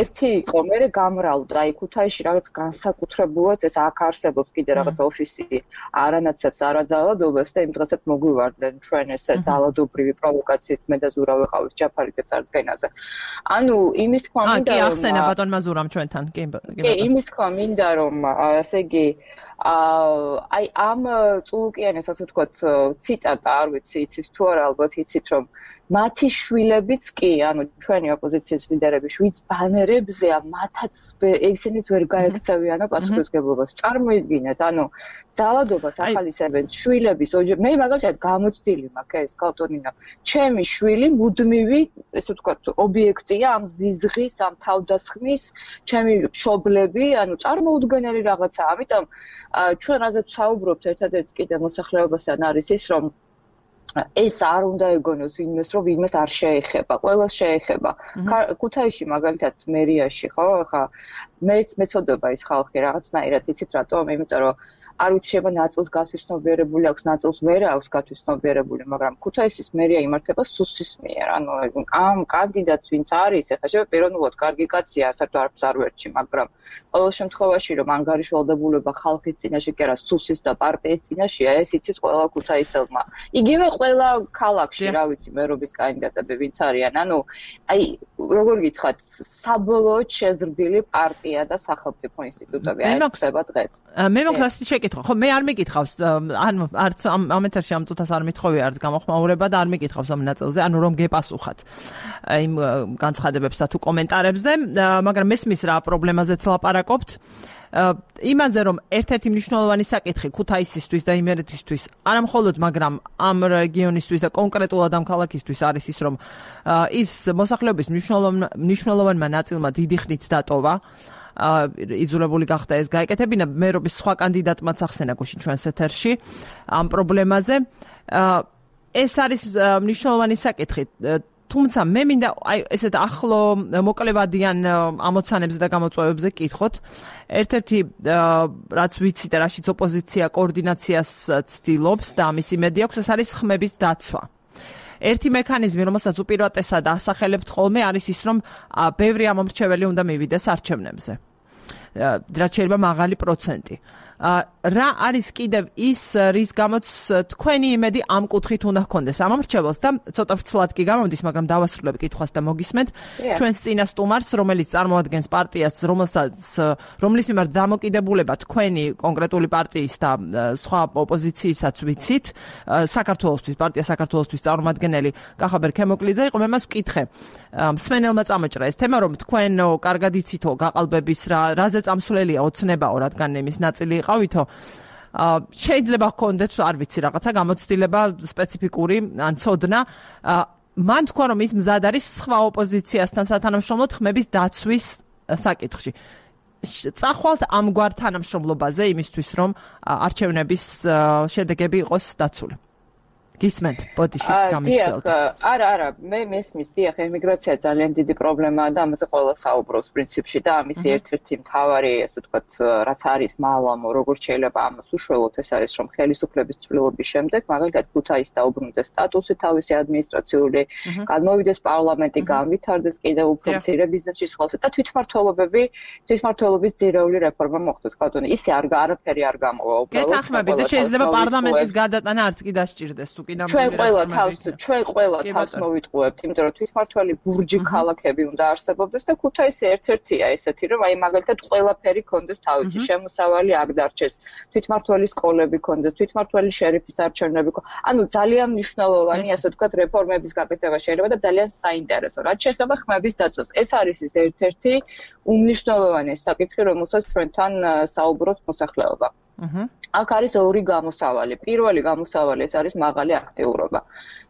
S6: ერთი იყო, მე გამრავლდა, აი ქუთაისში რაღაც განსაკუთრებულად ეს აქ არსებობს კიდე რაღაც ოფისი არანაცებს არაძალადობას და იმ დღესაც მოგვივარდნენ ჩვენ ესე ძალადობრივი პროვოკაციით მე და ზურა ვეყავით ჯაფარით წარდგენაზე. ანუ იმის თქვა მინდა
S1: კი ახსენა ბატონმა ზურამ ჩვენთან კი
S6: იმის თქვა მინდა რომ ესე იგი აი ამ წულუკიანეს ასე ვთქვათ ციტატა არ ვიცი იცით თუ არა ალბათ იცით რომ მათი შვილებიც კი, ანუ ჩვენი ოპოზიციის ლიდერები შვიდ ბანერებზეა, მათაც ესენიც ვერ გაექცევიანო პასუხისმგებლობას. წარმოიდგინეთ, ანუ ძალადობას ახალისებენ შვილების მე მაგალითად გამოცდილი მაქვს ეს კალტონინა. ჩემი შვილი მუდმივი, ესე ვთქვათ, ობიექტია ამ ზიზღის, ამ თავდასხმის, ჩემი მშობლები, ანუ წარმოუდგენელი რაღაცაა. ამიტომ ჩვენ რაზეც ვსაუბრობთ ერთადერთი კიდე მოსახლეობასთან არის ის, რომ ეს არ უნდა ეგონოს ვინმეს, რომ ვინმეს არ შეეხება, ყველას შეეხება. ქუთაისში მაგალითად მერიაში, ხო, ხა მეც მეწოდება ის ხალხი რაღაცნაირად იცით რატომ? იმიტომ რომ არ ვიცი შეიძლება ნაწილს გათვისნობიერებული აქვს, ნაწილს ვერ აქვს გათვისნობიერებული, მაგრამ ქუთაისის მერია იმართება სუსის მიერ. ანუ ამ კანდიდატს ვინც არის, ეხლა შეიძლება პიროვნულად კარგი კაცია, საერთოდ არც არ ვერჩი, მაგრამ ყოველ შემთხვევაში რომ ანგარიშვალდებულება ხალხის წინაშე კი არა, სუსის და პარტიის წინაშეა, ეს იცით ყველა ქუთაისელმა. იგივე ყველა ქალაქში, რა ვიცი, მერობის კანდიდატები ვინც არიან. ანუ აი, როგორ გითხრათ, საბოლოოდ შეზრდილი პარტია და სახელმწიფო ინსტიტუტები აი ხდება დღეს.
S1: მე მოგხსნით შეკითხვა. ხო, მე არ მეკითხავს, ანუ არც ამ ეთერში ამ წუთას არ მithხოვი არც გამოხმაურება და არ მეკითხავს ამ ნაწილზე, ანუ რომ გეპასუხათ იმ განცხადებებსა თუ კომენტარებზე, მაგრამ მესმის რა პრობლემაზეც ლაპარაკობთ. იმაზე რომ ერთ-ერთი მნიშვნელოვანი საკითხი ქუთაისისთვის და იმერეთისთვის არა მხოლოდ მაგრამ ამ რეგიონისთვის და კონკრეტულად ამ ქალაქისთვის არის ის რომ ის მოსახლეობის მნიშვნელოვანმა ნაწილმა დიდი ხნით დატოვა იძულებული გახდა ეს გაეკეთებინა მერობის სხვა კანდიდატმაც ახსენა გუშინ ჩვენს ეთერში ამ პრობლემაზე ეს არის მნიშვნელოვანი საკითხი თუმცა მე მინდა აი ესეთ ახლო მოკლევადიან ამოცანებზე და გამოწვევებზე კითხოთ. ერთ-ერთი რაც ვიცი და რაშიც ოპოზიცია კოორდინაციას ცდილობს და ამის იმედი აქვს, ეს არის ხმების დაცვა. ერთი მექანიზმი, რომელსაც უპირატესად ასახელებთ ხოლმე, არის ის, რომ ბევრი ამომრჩეველი უნდა მივიდეს არჩევნებზე. რაც შეიძლება მაღალი პროცენტი. რა არის კიდევ ის რის გამოც თქვენი იმედი ამ კუთხით უნდა ჰქონდეს ამომრჩეველს და ცოტა ვრცლად კი გამომდის, მაგრამ დავასრულებ კითხვას და მოგისმენთ. ჩვენს წინა სტუმარს, რომელიც წარმოადგენს პარტიას, რომლის მიმართ დამოკიდებულება თქვენი კონკრეტული პარტიის და სხვა ოპოზიციისაც ვიცით, საქართველოსთვის, პარტია საქართველოსთვის წარმომადგენელი კახაბერ ქემოკლიძე იყო, მე მას ვკითხე. მსმენელმა წამოჭრა ეს თემა, რომ თქვენ კარგად იცითო გაყალბების რაზე წამსვლელია ოცნებაო, რადგან იმის ნაწილი ყავითო შეიძლება გქონდეთ არ ვიცი რაღაცა გამოცდილება სპეციფიკური ან ცოდნა მან თქვა რომ ის მზად არის სხვა ოპოზიციასთან სათანამშრომლოდ ხმების დაცვის საკითხში წახვალთ ამგვარ თანამშრომლობაზე იმისთვის რომ არჩევნების შედეგები იყოს დაცული გისმენთ ბოდიში გამიგრძელდა
S6: არა მე მესმის დიახ ემიგრაცია ძალიან დიდი პრობლემაა და ამაზე ყველა საუბრობს პრინციპში და ამის ერთ-ერთი მთავარი ასე ვთქვათ რაც არის მალამო როგორც შეიძლება ამას უშუალოდ ეს არის რომ ხელისუფლების ცვლილების შემდეგ მაგალითად ქუთაისის დაუბრუნდეს სტატუსი თავისი ადმინისტრაციული გადმოვიდეს პარლამენტი განვითარდეს კიდევ უფრო მცირე ბიზნესის ხელში და თვითმმართველობის ძირეული რეფორმა მოხდეს კანტონი ისე არაფერი არ გამოვა უბრალოდ
S1: გეთანხმები და შეიძლება პარლამენტის გადატანა არც კი დასჭირდეს
S6: ჩვენ ყველა თავს მოვიტყუებთ, იმიტომ რომ თვითმმართველი ბურჯი ქალაქები უნდა არსებობდეს და ქუთაისი ერთ-ერთია ესეთი, რომ აი მაგალითად ყველაფერი ქონდეს თავისი, შემოსავალი აქ დარჩეს, თვითმმართველი სკოლები ქონდეს, თვითმმართველი შერიფის არჩევნები. ანუ ძალიან მნიშვნელოვანი, ასე ვთქვათ, რეფორმების გაკეთება შეიძლება და ძალიან საინტერესო. რაც შეეხება ხმების დაცვას, ეს არის ის ერთ-ერთი უმნიშვნელოვანესი საკითხი, რომელსაც ჩვენთან საუბრობს მოსახლეობა. აქ არის ორი გამოსავალი. პირველი გამოსავალი ეს არის მაღალი აქტიურობა.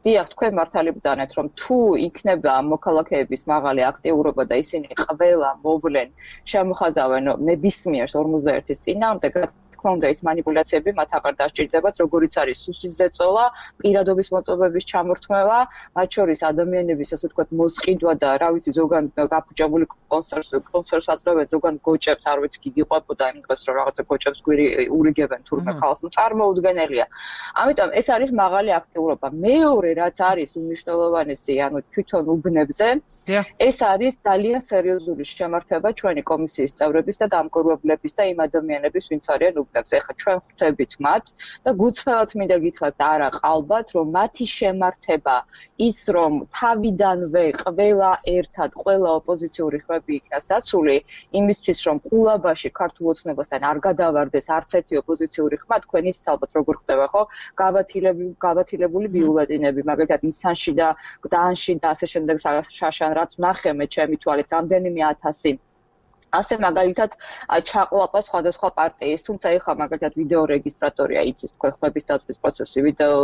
S6: დიახ, თქვენ მართალი ბრძანეთ, რომ თუ იქნება მოქალაქეების მაღალი აქტიურობა და ისინი ყველა მოვლენ შემოხაზავენ ნებისმიერ 51-ის წინააღმდეგ უნდა ის манипуляციები მათ აღარ დასჭირდებათ, როგორიც არის სუსის ზეწოლა, პირადობის მოწობების ჩამორთმევა, მათ შორის ადამიანების, ასე ვთქვათ, მოსყიდვა და რა ვიცი, ზოგან გაფუჭებული კონსერვს აწევენ, ზოგან გოჭებს, არ ვიცი, გიგიყვებოდა იმ დღეს, რომ რაღაცა გოჭებს გვირი ურიგებენ თურმე ხალხს, წარმოუდგენელია. ამიტომ ეს არის მაღალი აქტიურობა. მეორე, რაც არის უმნიშვნელოვანესი, ანუ თვითონ უბნებზე, ეს არის ძალიან სერიოზული შემართება ჩვენი კომისიის წევრების და დამკვირვებლების და იმ ადამიანების, ვინც არიან უბნებზე. ეხლა ჩვენ ხვდებით მათ და გუცხელად მინდა გითხრათ არა ყალბათ, რომ მათი შემართება ის, რომ თავიდანვე ყველა ერთად, ყველა ოპოზიციური ხმები იქნას დაცული, იმისთვის, რომ ყულაბაში ქართულ ოცნებასთან არ გადავარდეს არც ერთი ოპოზიციური ხმა, თქვენ იცით ალბათ როგორ ხდება, ხო? გავათილებული ბიულეტინები, მაგალითად ისანში და გდანში და ასე შემდეგ შაშან რაც ნახე მე ჩემი თვალით რამდენიმე ათასი ასე მაგალითად ჩაყლაპა სხვადასხვა პარტიის, თუმცა ეხლა მაგალითად ვიდეო რეგისტრატორია იცის თქვენ ხმების დაცვის პროცესი, ვიდეო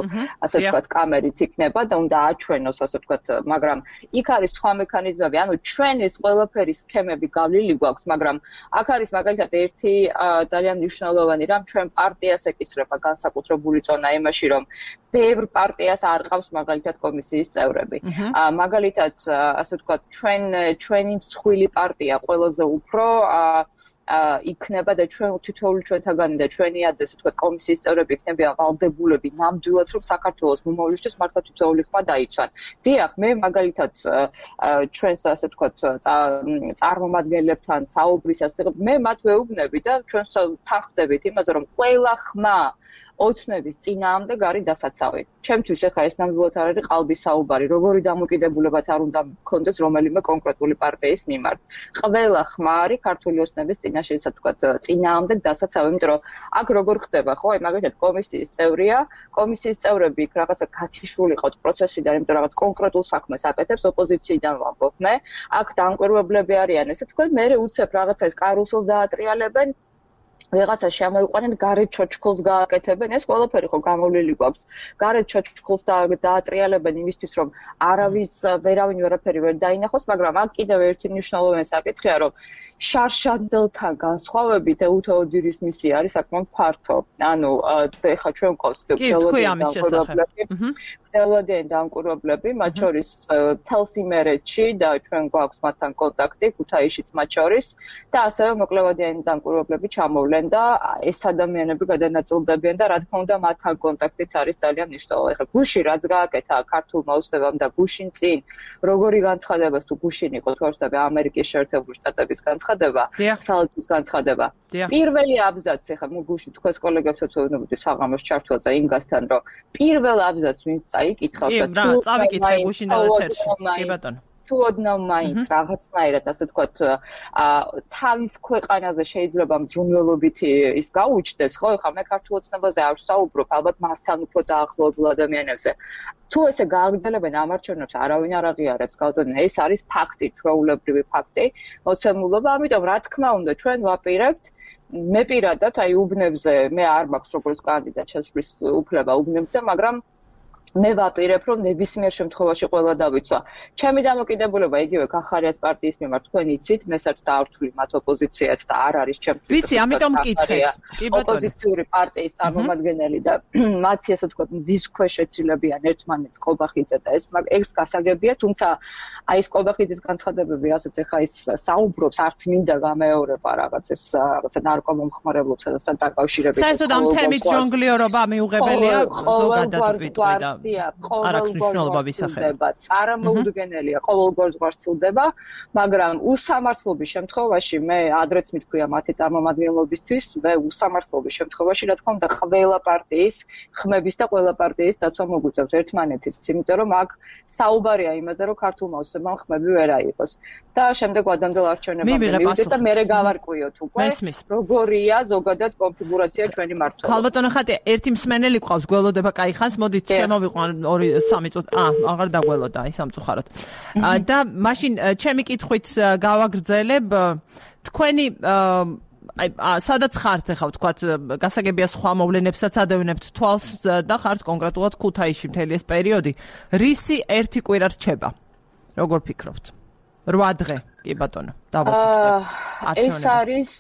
S6: ასე ვთქვათ კამერით იქნება და უნდა აჩვენოს ასე ვთქვათ, მაგრამ იქ არის სხვა მექანიზმები, ანუ ჩვენ ეს ყველაფერი სქემები გავლილი გვაქვს, მაგრამ აქ არის მაგალითად ერთი ძალიან მნიშვნელოვანი რამ, ჩვენ პარტიას ეკისრება განსაკუთრებული წონა იმაში, რომ ბევრ პარტიას არ ყავს მაგალითად კომისიის წევრები. მაგალითად ასე ვთქვათ, ჩვენი მსხვილი პარტია ყველაზე უფრო იქნება და ჩვენ თითოეული ჩვენთაგანი და ჩვენი ასე ვთქვათ კომისიის წევრები იქნებიან ვალდებულები ნამდვილად რომ საქართველოს მომავლისთვის მართლა თითოეული ხმა დაიცვან. დიახ, მე მაგალითად ჩვენს ასე ვთქვათ წარმომადგენლებთან საუბრის ასწრებ, მე მათ ვეუბნები და ჩვენ თანხმდებით იმაზე რომ ყველა ხმა ოცნების წინააღმდეგ არის დასაცავი. ჩემთვის ახლა ეს ნამდვილად არ არის ყალბის საუბარი, როგორი დამოკიდებულებაც არ უნდა მქონდეს რომელიმე კონკრეტული პარტიის მიმართ. ყველა ხმა არის ქართული ოცნების წინაშე, ისე თქვა, წინააღმდეგ დასაცავი, იმიტომ რომ აქ როგორ ხდება, ხო, აი მაგალითად კომისიის წევრია, კომისიის წევრები იქ რაღაცა გათიშრული ყავთ პროცესიდან, იმიტომ რაღაც კონკრეტულ საქმეს აკეთებს ოპოზიციიდან ვამბობ მე. აქ დამკვირვებლები არიან, ესე თქვა, მე უცებ რაღაცა ეს კარუსელს დაატრიალებენ. ვიღაცა შემოიყვანენ გარეთ ჩოჩქოლს გააკეთებენ, ეს ყველაფერი ხო გამოვლილი გვაქვს. გარეთ ჩოჩქოლს დაატრიალებენ იმისთვის, რომ ვერავინ ვერაფერი ვერ დაინახოს, მაგრამ აქ კიდევ ერთი მნიშვნელოვანი საკითხია, რომ შარშანდელთან განსხვავებით ეუთო ოდირის მისია არის საკმაოდ ფართო. ანუ ეხლა ჩვენ გვყავს გრძელვადიანი დამკვირვებლები, მათ შორის მთელს იმერეთში და ჩვენ გვაქვს მათთან კონტაქტი, ქუთაისშიც მათ შორის და ასევე მოკლევადიანი დამკვირვებლები ჩამოვლენ და ეს ადამიანები გადანაწილდებიან და რა თქმა უნდა მათთან კონტაქტიც არის ძალიან მნიშვნელოვანი. ეხლა გუში რაც გააკეთა ქართულმა ოცნებამ და გუშინ წინ როგორი განცხადება თუ გუშინ იყო თორსაბე ამერიკის შეერთებული შტატების განცხადება, საელჩოს განცხადება. პირველი აბზაცი ეხლა გუში თქვენს კოლეგებსაც ვეუბნებოდი საღამოს ჩართვაზე ინგასთან, რომ პირველ აბზაცს ვინც წაიკითხავს და თუ
S1: წავიკითხე გუშინ და ეთერში. კი ბატონო.
S6: თუ ოდნავ მაინც რაღაცნაირად ასე ვთქვათ თავის ქვეყანაზე შეიძლება მძრუნველობით ის გაუჩნდეს, ხო? ეხლა მე ქართულ ოცნებაზე არ ვსაუბრობ, ალბათ მასთან უფრო დაახლოებულ ადამიანებზე. თუ ესე გააგრძელებენ ამ არჩევნებს, არავინ არ აღიარებს გავლენა. ეს არის ფაქტი, ჩვეულებრივი ფაქტი, მოცემულობა, ამიტომ რა თქმა უნდა ჩვენ ვაპირებთ მე პირადად აი უბნებზე მე არ მაქვს როგორც კანდიდატ შესვლის უფლება უბნებზე, მაგრამ მე ვაპირებ, რომ ნებისმიერ შემთხვევაში ყველა დავიცვა. ჩემი დამოკიდებულება იგივე კახარიას პარტიის მიმართ თქვენ იცით, მე საერთოდ არ ვთვლი მათ ოპოზიციად და არ არის ჩემთვის.
S1: ვიცი, ამიტომ მკითხეთ.
S6: ოპოზიციური პარტიის წარმომადგენელი და მათი ასე ვთქვათ, მზის ქვეშ ეცილებიან ერთმანეთს ყობახიძე და ეს გასაგებია, თუმცა აი ეს ყობახიძის განცხადებები, რასაც ეხა ის საუბრობს, არც მინდა გამეორება რაღაცა ნარკომომხმარებლობსა და დაკავშირებით.
S1: საერთოდ ამ თემით ჟონგლიორობა მიუღებელია ზოგადად ვიტყვი და
S6: წარმოუდგენელია, ყოველგვარ ზღვარცილდება, მაგრამ უსამართლობის შემთხვევაში მე ადრეც მithქვია მათი წარმომადგენლობისთვის, მე უსამართლობის შემთხვევაში რა თქმა უნდა ყველა პარტიის ხმების და ყველა პარტიის დაცვა მოგვიწევს ერთმანეთის, იმიტომ რომ აქ საუბარია იმაზე, რომ ქართულმა ოცნებამ ხმები ვერ აიღოს. და შემდეგ ვადამდელ არჩევნებამდე მივიდეთ და მე გავარკვიოთ უკვე, როგორია ზოგადად კონფიგურაცია ჩვენი მართლობის.
S1: ქალბატონო ხატია, ერთი მსმენელი ყავს, გველოდება კაიხანს, მოდით შემოვიყვან 2-3 წუთი. აღარ დაგველოდა აი სამწუხაროდ. და მაშინ ჩემი კითხვით გავაგრძელებ თქვენი აი სადაც ხართ ახლა ვთქვათ გასაგებია სხვა მოვლენებსაც ადევნებთ თვალს და ხართ კონკრეტულად ქუთაისში მთელი ეს პერიოდი. რისი ერთი კვირა რჩება? როგორ ფიქრობთ? 8 დღე, კი ბატონო, დავაწყოთ.
S6: ეს არის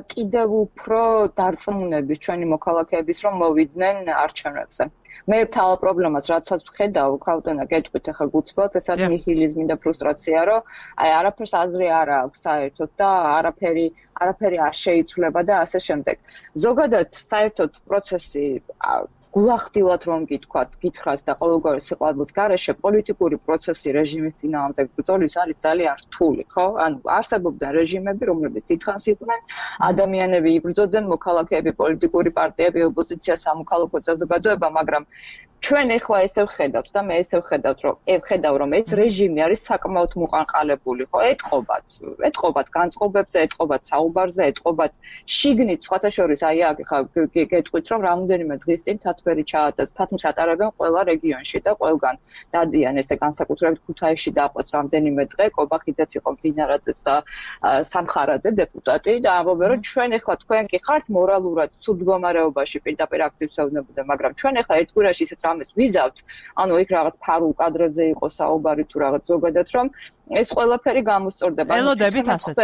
S6: კიდევ უფრო დარწმუნების ჩვენი მოქალაქეების რომ მოვიდნენ არჩევნებზე. მე თავ პრობლემას რაცაც ვხედავ, ქალბატონო, გეტყვით ახლა გუცბად, ეს არის ნიჰილიზმი და ფრუსტრაცია, რომ აი არაფერს აზრი არ აქვს საერთოდ და არაფერი არ შეიცვლება და ასე შემდეგ. ზოგადად საერთოდ პროცესი გულახდილად რომ გითხრათ და ყოველგვარი სიყვარულის გარეშე პოლიტიკური პროცესი რეჟიმის წინააღმდეგ ბრძოლის არის ძალიან რთული, ხო? ანუ არსებობდა რეჟიმები, რომლებიც დიდხანს იყვნენ, ადამიანები იბრძოდნენ, მოქალაქეები, პოლიტიკური პარტიები, ოპოზიცია, სამოქალაქო საზოგადოება, მაგრამ ჩვენ ახლა ესე ვხედავთ და მე ესე ვხედავ რომ ეს რეჟიმი არის საკმაოდ მოყანყალებული, ხო? ეტყობათ განწყობებზე, ეტყობათ საუბარზე, ეტყობათ შიგნით, სხვათა შორის აი აქ ხა გეტყვით რომ რამოდენიმე დღის წინ თათმის ატარებენ ყველა რეგიონში და ყველგან დადიან ესე განსაკუთრებით ქუთაისში დაყვეს რამოდენიმე დღე, კობახიძეც იყო მდინარაძეც და სამხარაძე დეპუტატი და ამბობენ რომ ჩვენ ახლა თქვენ კი ხართ მორალურად ცუდ მდგომარეობაში პირდაპირ აქტივს ეუბნებოდნენ, მაგრამ ჩვენ ახლა ერთ კვირაში ისეთ რამეს ვიზავთ, ანუ იქ რაღაც ფარულ კადრებზე იყო საუბარი თუ რაღაც ზოგადად რომ ეს ყველაფერი გამოსწორდება.
S1: ელოდებით ასეთ.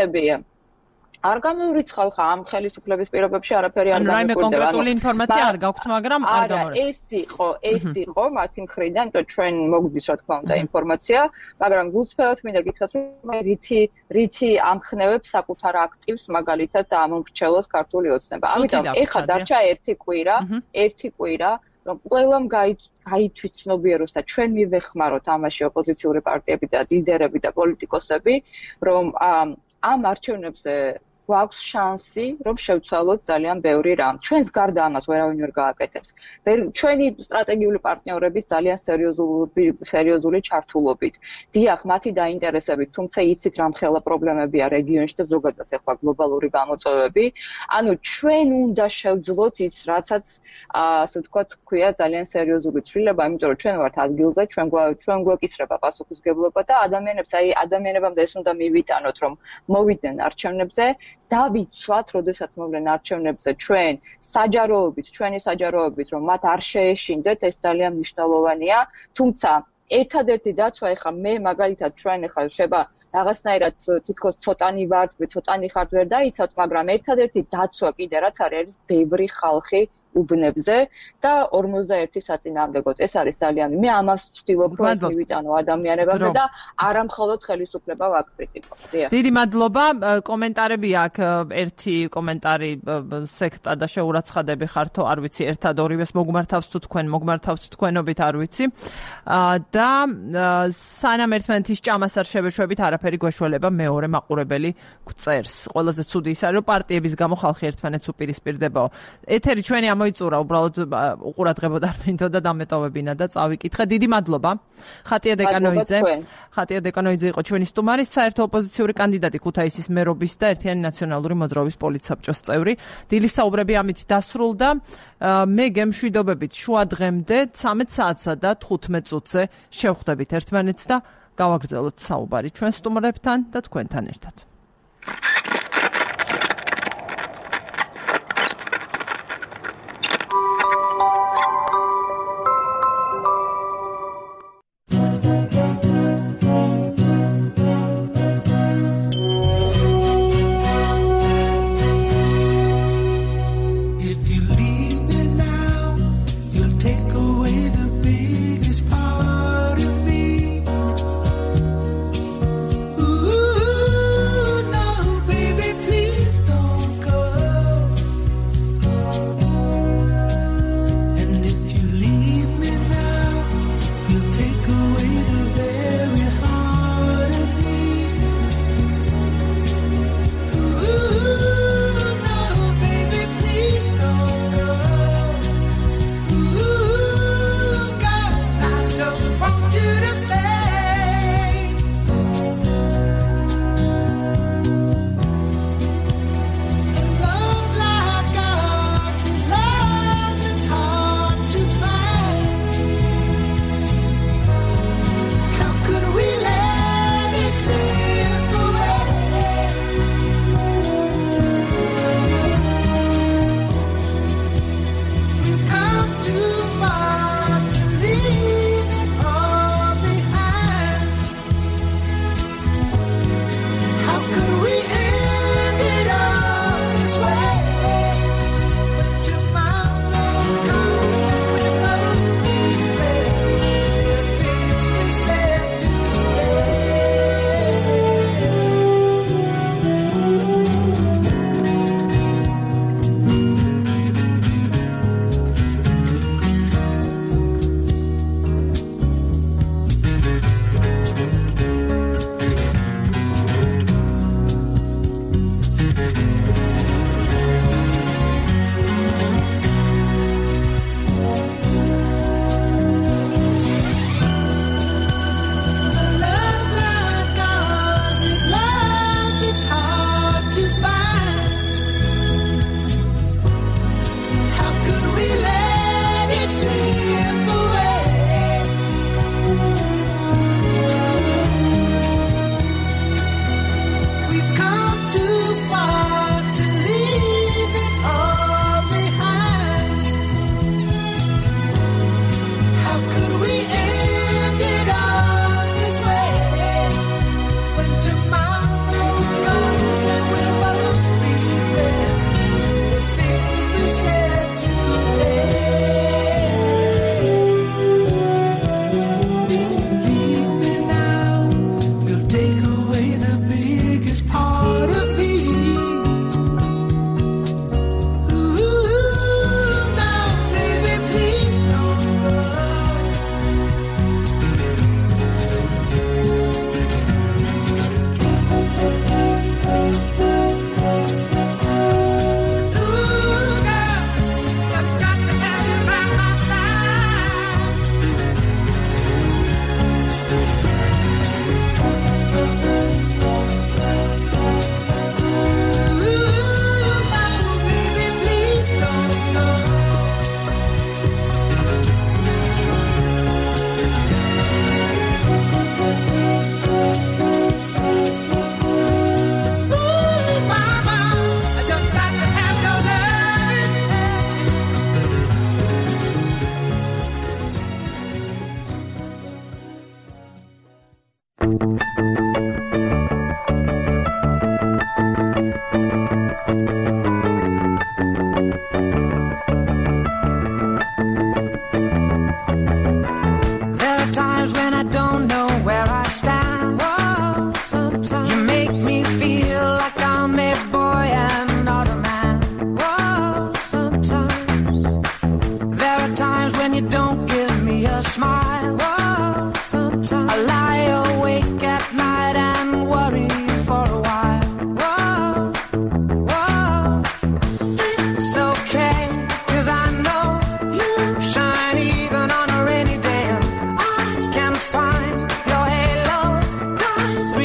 S6: არ გამოვრიცხავ ხა ამ ხელისუფლების პირობებში არაფერი არ
S1: გამიკვირდება. ანუ რაიმე კონკრეტული ინფორმაცია არ გაქვთ, მაგრამ არ გამორიცხავ.
S6: ეს იყო მათი მხრიდან, იმიტომ ჩვენ მოგვდის რა თქმა უნდა ინფორმაცია, მაგრამ გულწრფელად მინდა გითხრათ, რომ რითი ამხნევებს საკუთარ აქტივს მაგალითად ამომრჩევლოს ქართული ოცნება. ამიტომ ეხა დარჩა ერთი კვირა რომ ყველამ გაითვითცნობიეროს და ჩვენ მივეხმაროთ ამაში ოპოზიციური პარტიები და ლიდერები და პოლიტიკოსები, რომ ამ არჩევნებზე გვაქვს შანსი, რომ შევცვალოთ ძალიან ბევრი რამ. ჩვენს გარდა ამას ვერავინ ვერ გააკეთებს. ჩვენი სტრატეგიული პარტნიორების ძალიან სერიოზული ჩართულობით. დიახ, მათი დაინტერესებით, თუმცა იცით რა მხელა პრობლემებია რეგიონში და ზოგადად ახლა გლობალური გამოწვევები. ანუ ჩვენ უნდა შევძლოთ ის, რაცაც ასე ვთქვათ, ქვია ძალიან სერიოზული ცვლილება, იმიტომ რომ ჩვენ ვართ ადგილზე, ჩვენ გვეკისრება პასუხისგებლობა და ადამიანებამდე ეს უნდა მივიტანოთ, რომ მოვიდნენ არჩევნებზე, დავიცვათ, როდესაც მოვიდნენ არჩევნებზე ჩვენ ჩვენი საჯაროობით, რომ მათ არ შეეშინდეთ, ეს ძალიან მნიშვნელოვანია, თუმცა ერთადერთი დაცვა ეხა მე მაგალითად ჩვენ ეხა შეება რაღაცნაირად თითქოს ცოტანი ვართ, ცოტანი ხართ ვერ დაიცავთ, მაგრამ ერთადერთი დაცვა კიდე რაც არის ბევრი ხალხი უბნებზე და 51 საწინააღმდეგოდ. ეს არის ძალიან მე ამას ვცდილობ რომ ეს მივიტანო ადამიანებამდე და არა მხოლოდ ხელისუფლება ვაკრიტიკო.
S1: დიდი მადლობა. კომენტარები აქვს. ერთი კომენტარი სექტა და შეურაცხადები ხართო, არ ვიცი, ერთად ორივეს მოგმართავს თუ თქვენობით არ ვიცი. და სანამ ერთმანეთის ჭამას არ შევეშვებით, არაფერი გვეშველება მეორე მაყურებელი გვწერს. ყველაზე ცუდი ის არის, რომ პარტიების გამო ხალხი ერთმანეთს უპირისპირდებაო. ეთერი ჩვენი მოიწურა უბრალოდ უყურადღებოდ არ მინდოდა დამეტოვებინა და წავიკითხე. დიდი მადლობა. ხატია დეკანოიძე იყო ჩვენი სტუმარი, საერთო ოპოზიციური კანდიდატი ქუთაისის მერობის და ერთიანი ნაციონალური მოძრაობის პოლიტსაბჭოს წევრი. დილის საუბრები ამით დასრულდა. მე გემშვიდობებით შუა დღემდე 13 საათსა და 15 წუთზე შევხვდებით ერთმანეთს და გავაგრძელოთ საუბარი ჩვენ სტუმრებთან და თქვენთან ერთად.
S7: Ooh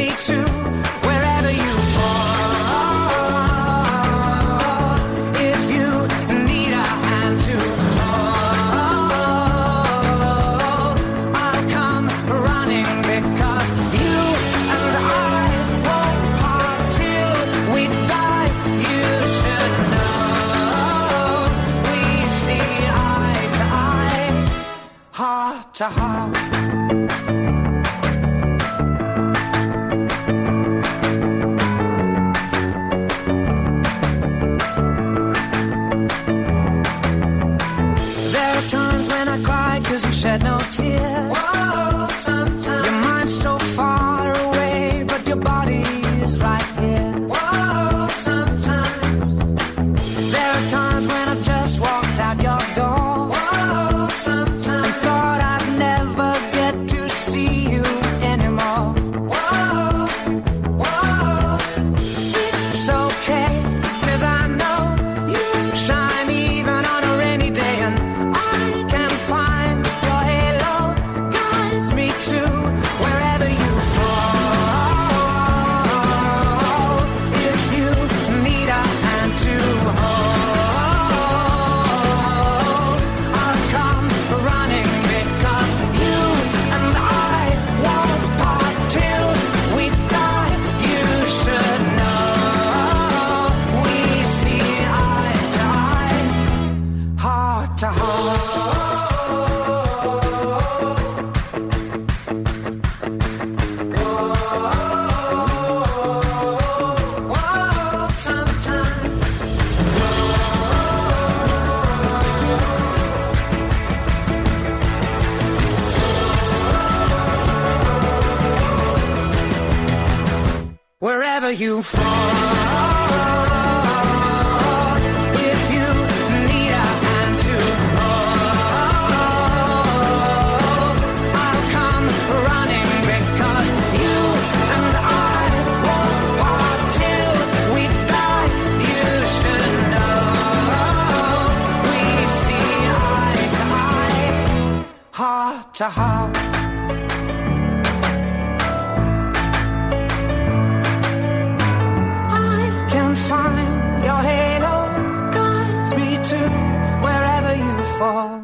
S7: me to wherever you fall. If you need a hand to hold, I'll come running because you and I won't part till we die. You should know we see eye to eye, heart to heart. Shed no tears. Whoa, sometimes your mind's so far away, but your body is right here. Whoa, sometimes there are times when I just walked out your door. Whoa, sometimes I thought I'd never get to see you anymore. Whoa, whoa, it's okay, 'cause I know you shine even on a rainy day, and I can find your halo guides me to wherever you fall. If you need a hand to hold, I'll come running because you and I won't part till we die. You should know we see eye to eye, heart to heart. Wherever you fall, if you need a hand to hold, I'll come running because you and I won't part till we die. You should know we see eye to eye, heart to heart. I can find your halo guides me to wherever you fall.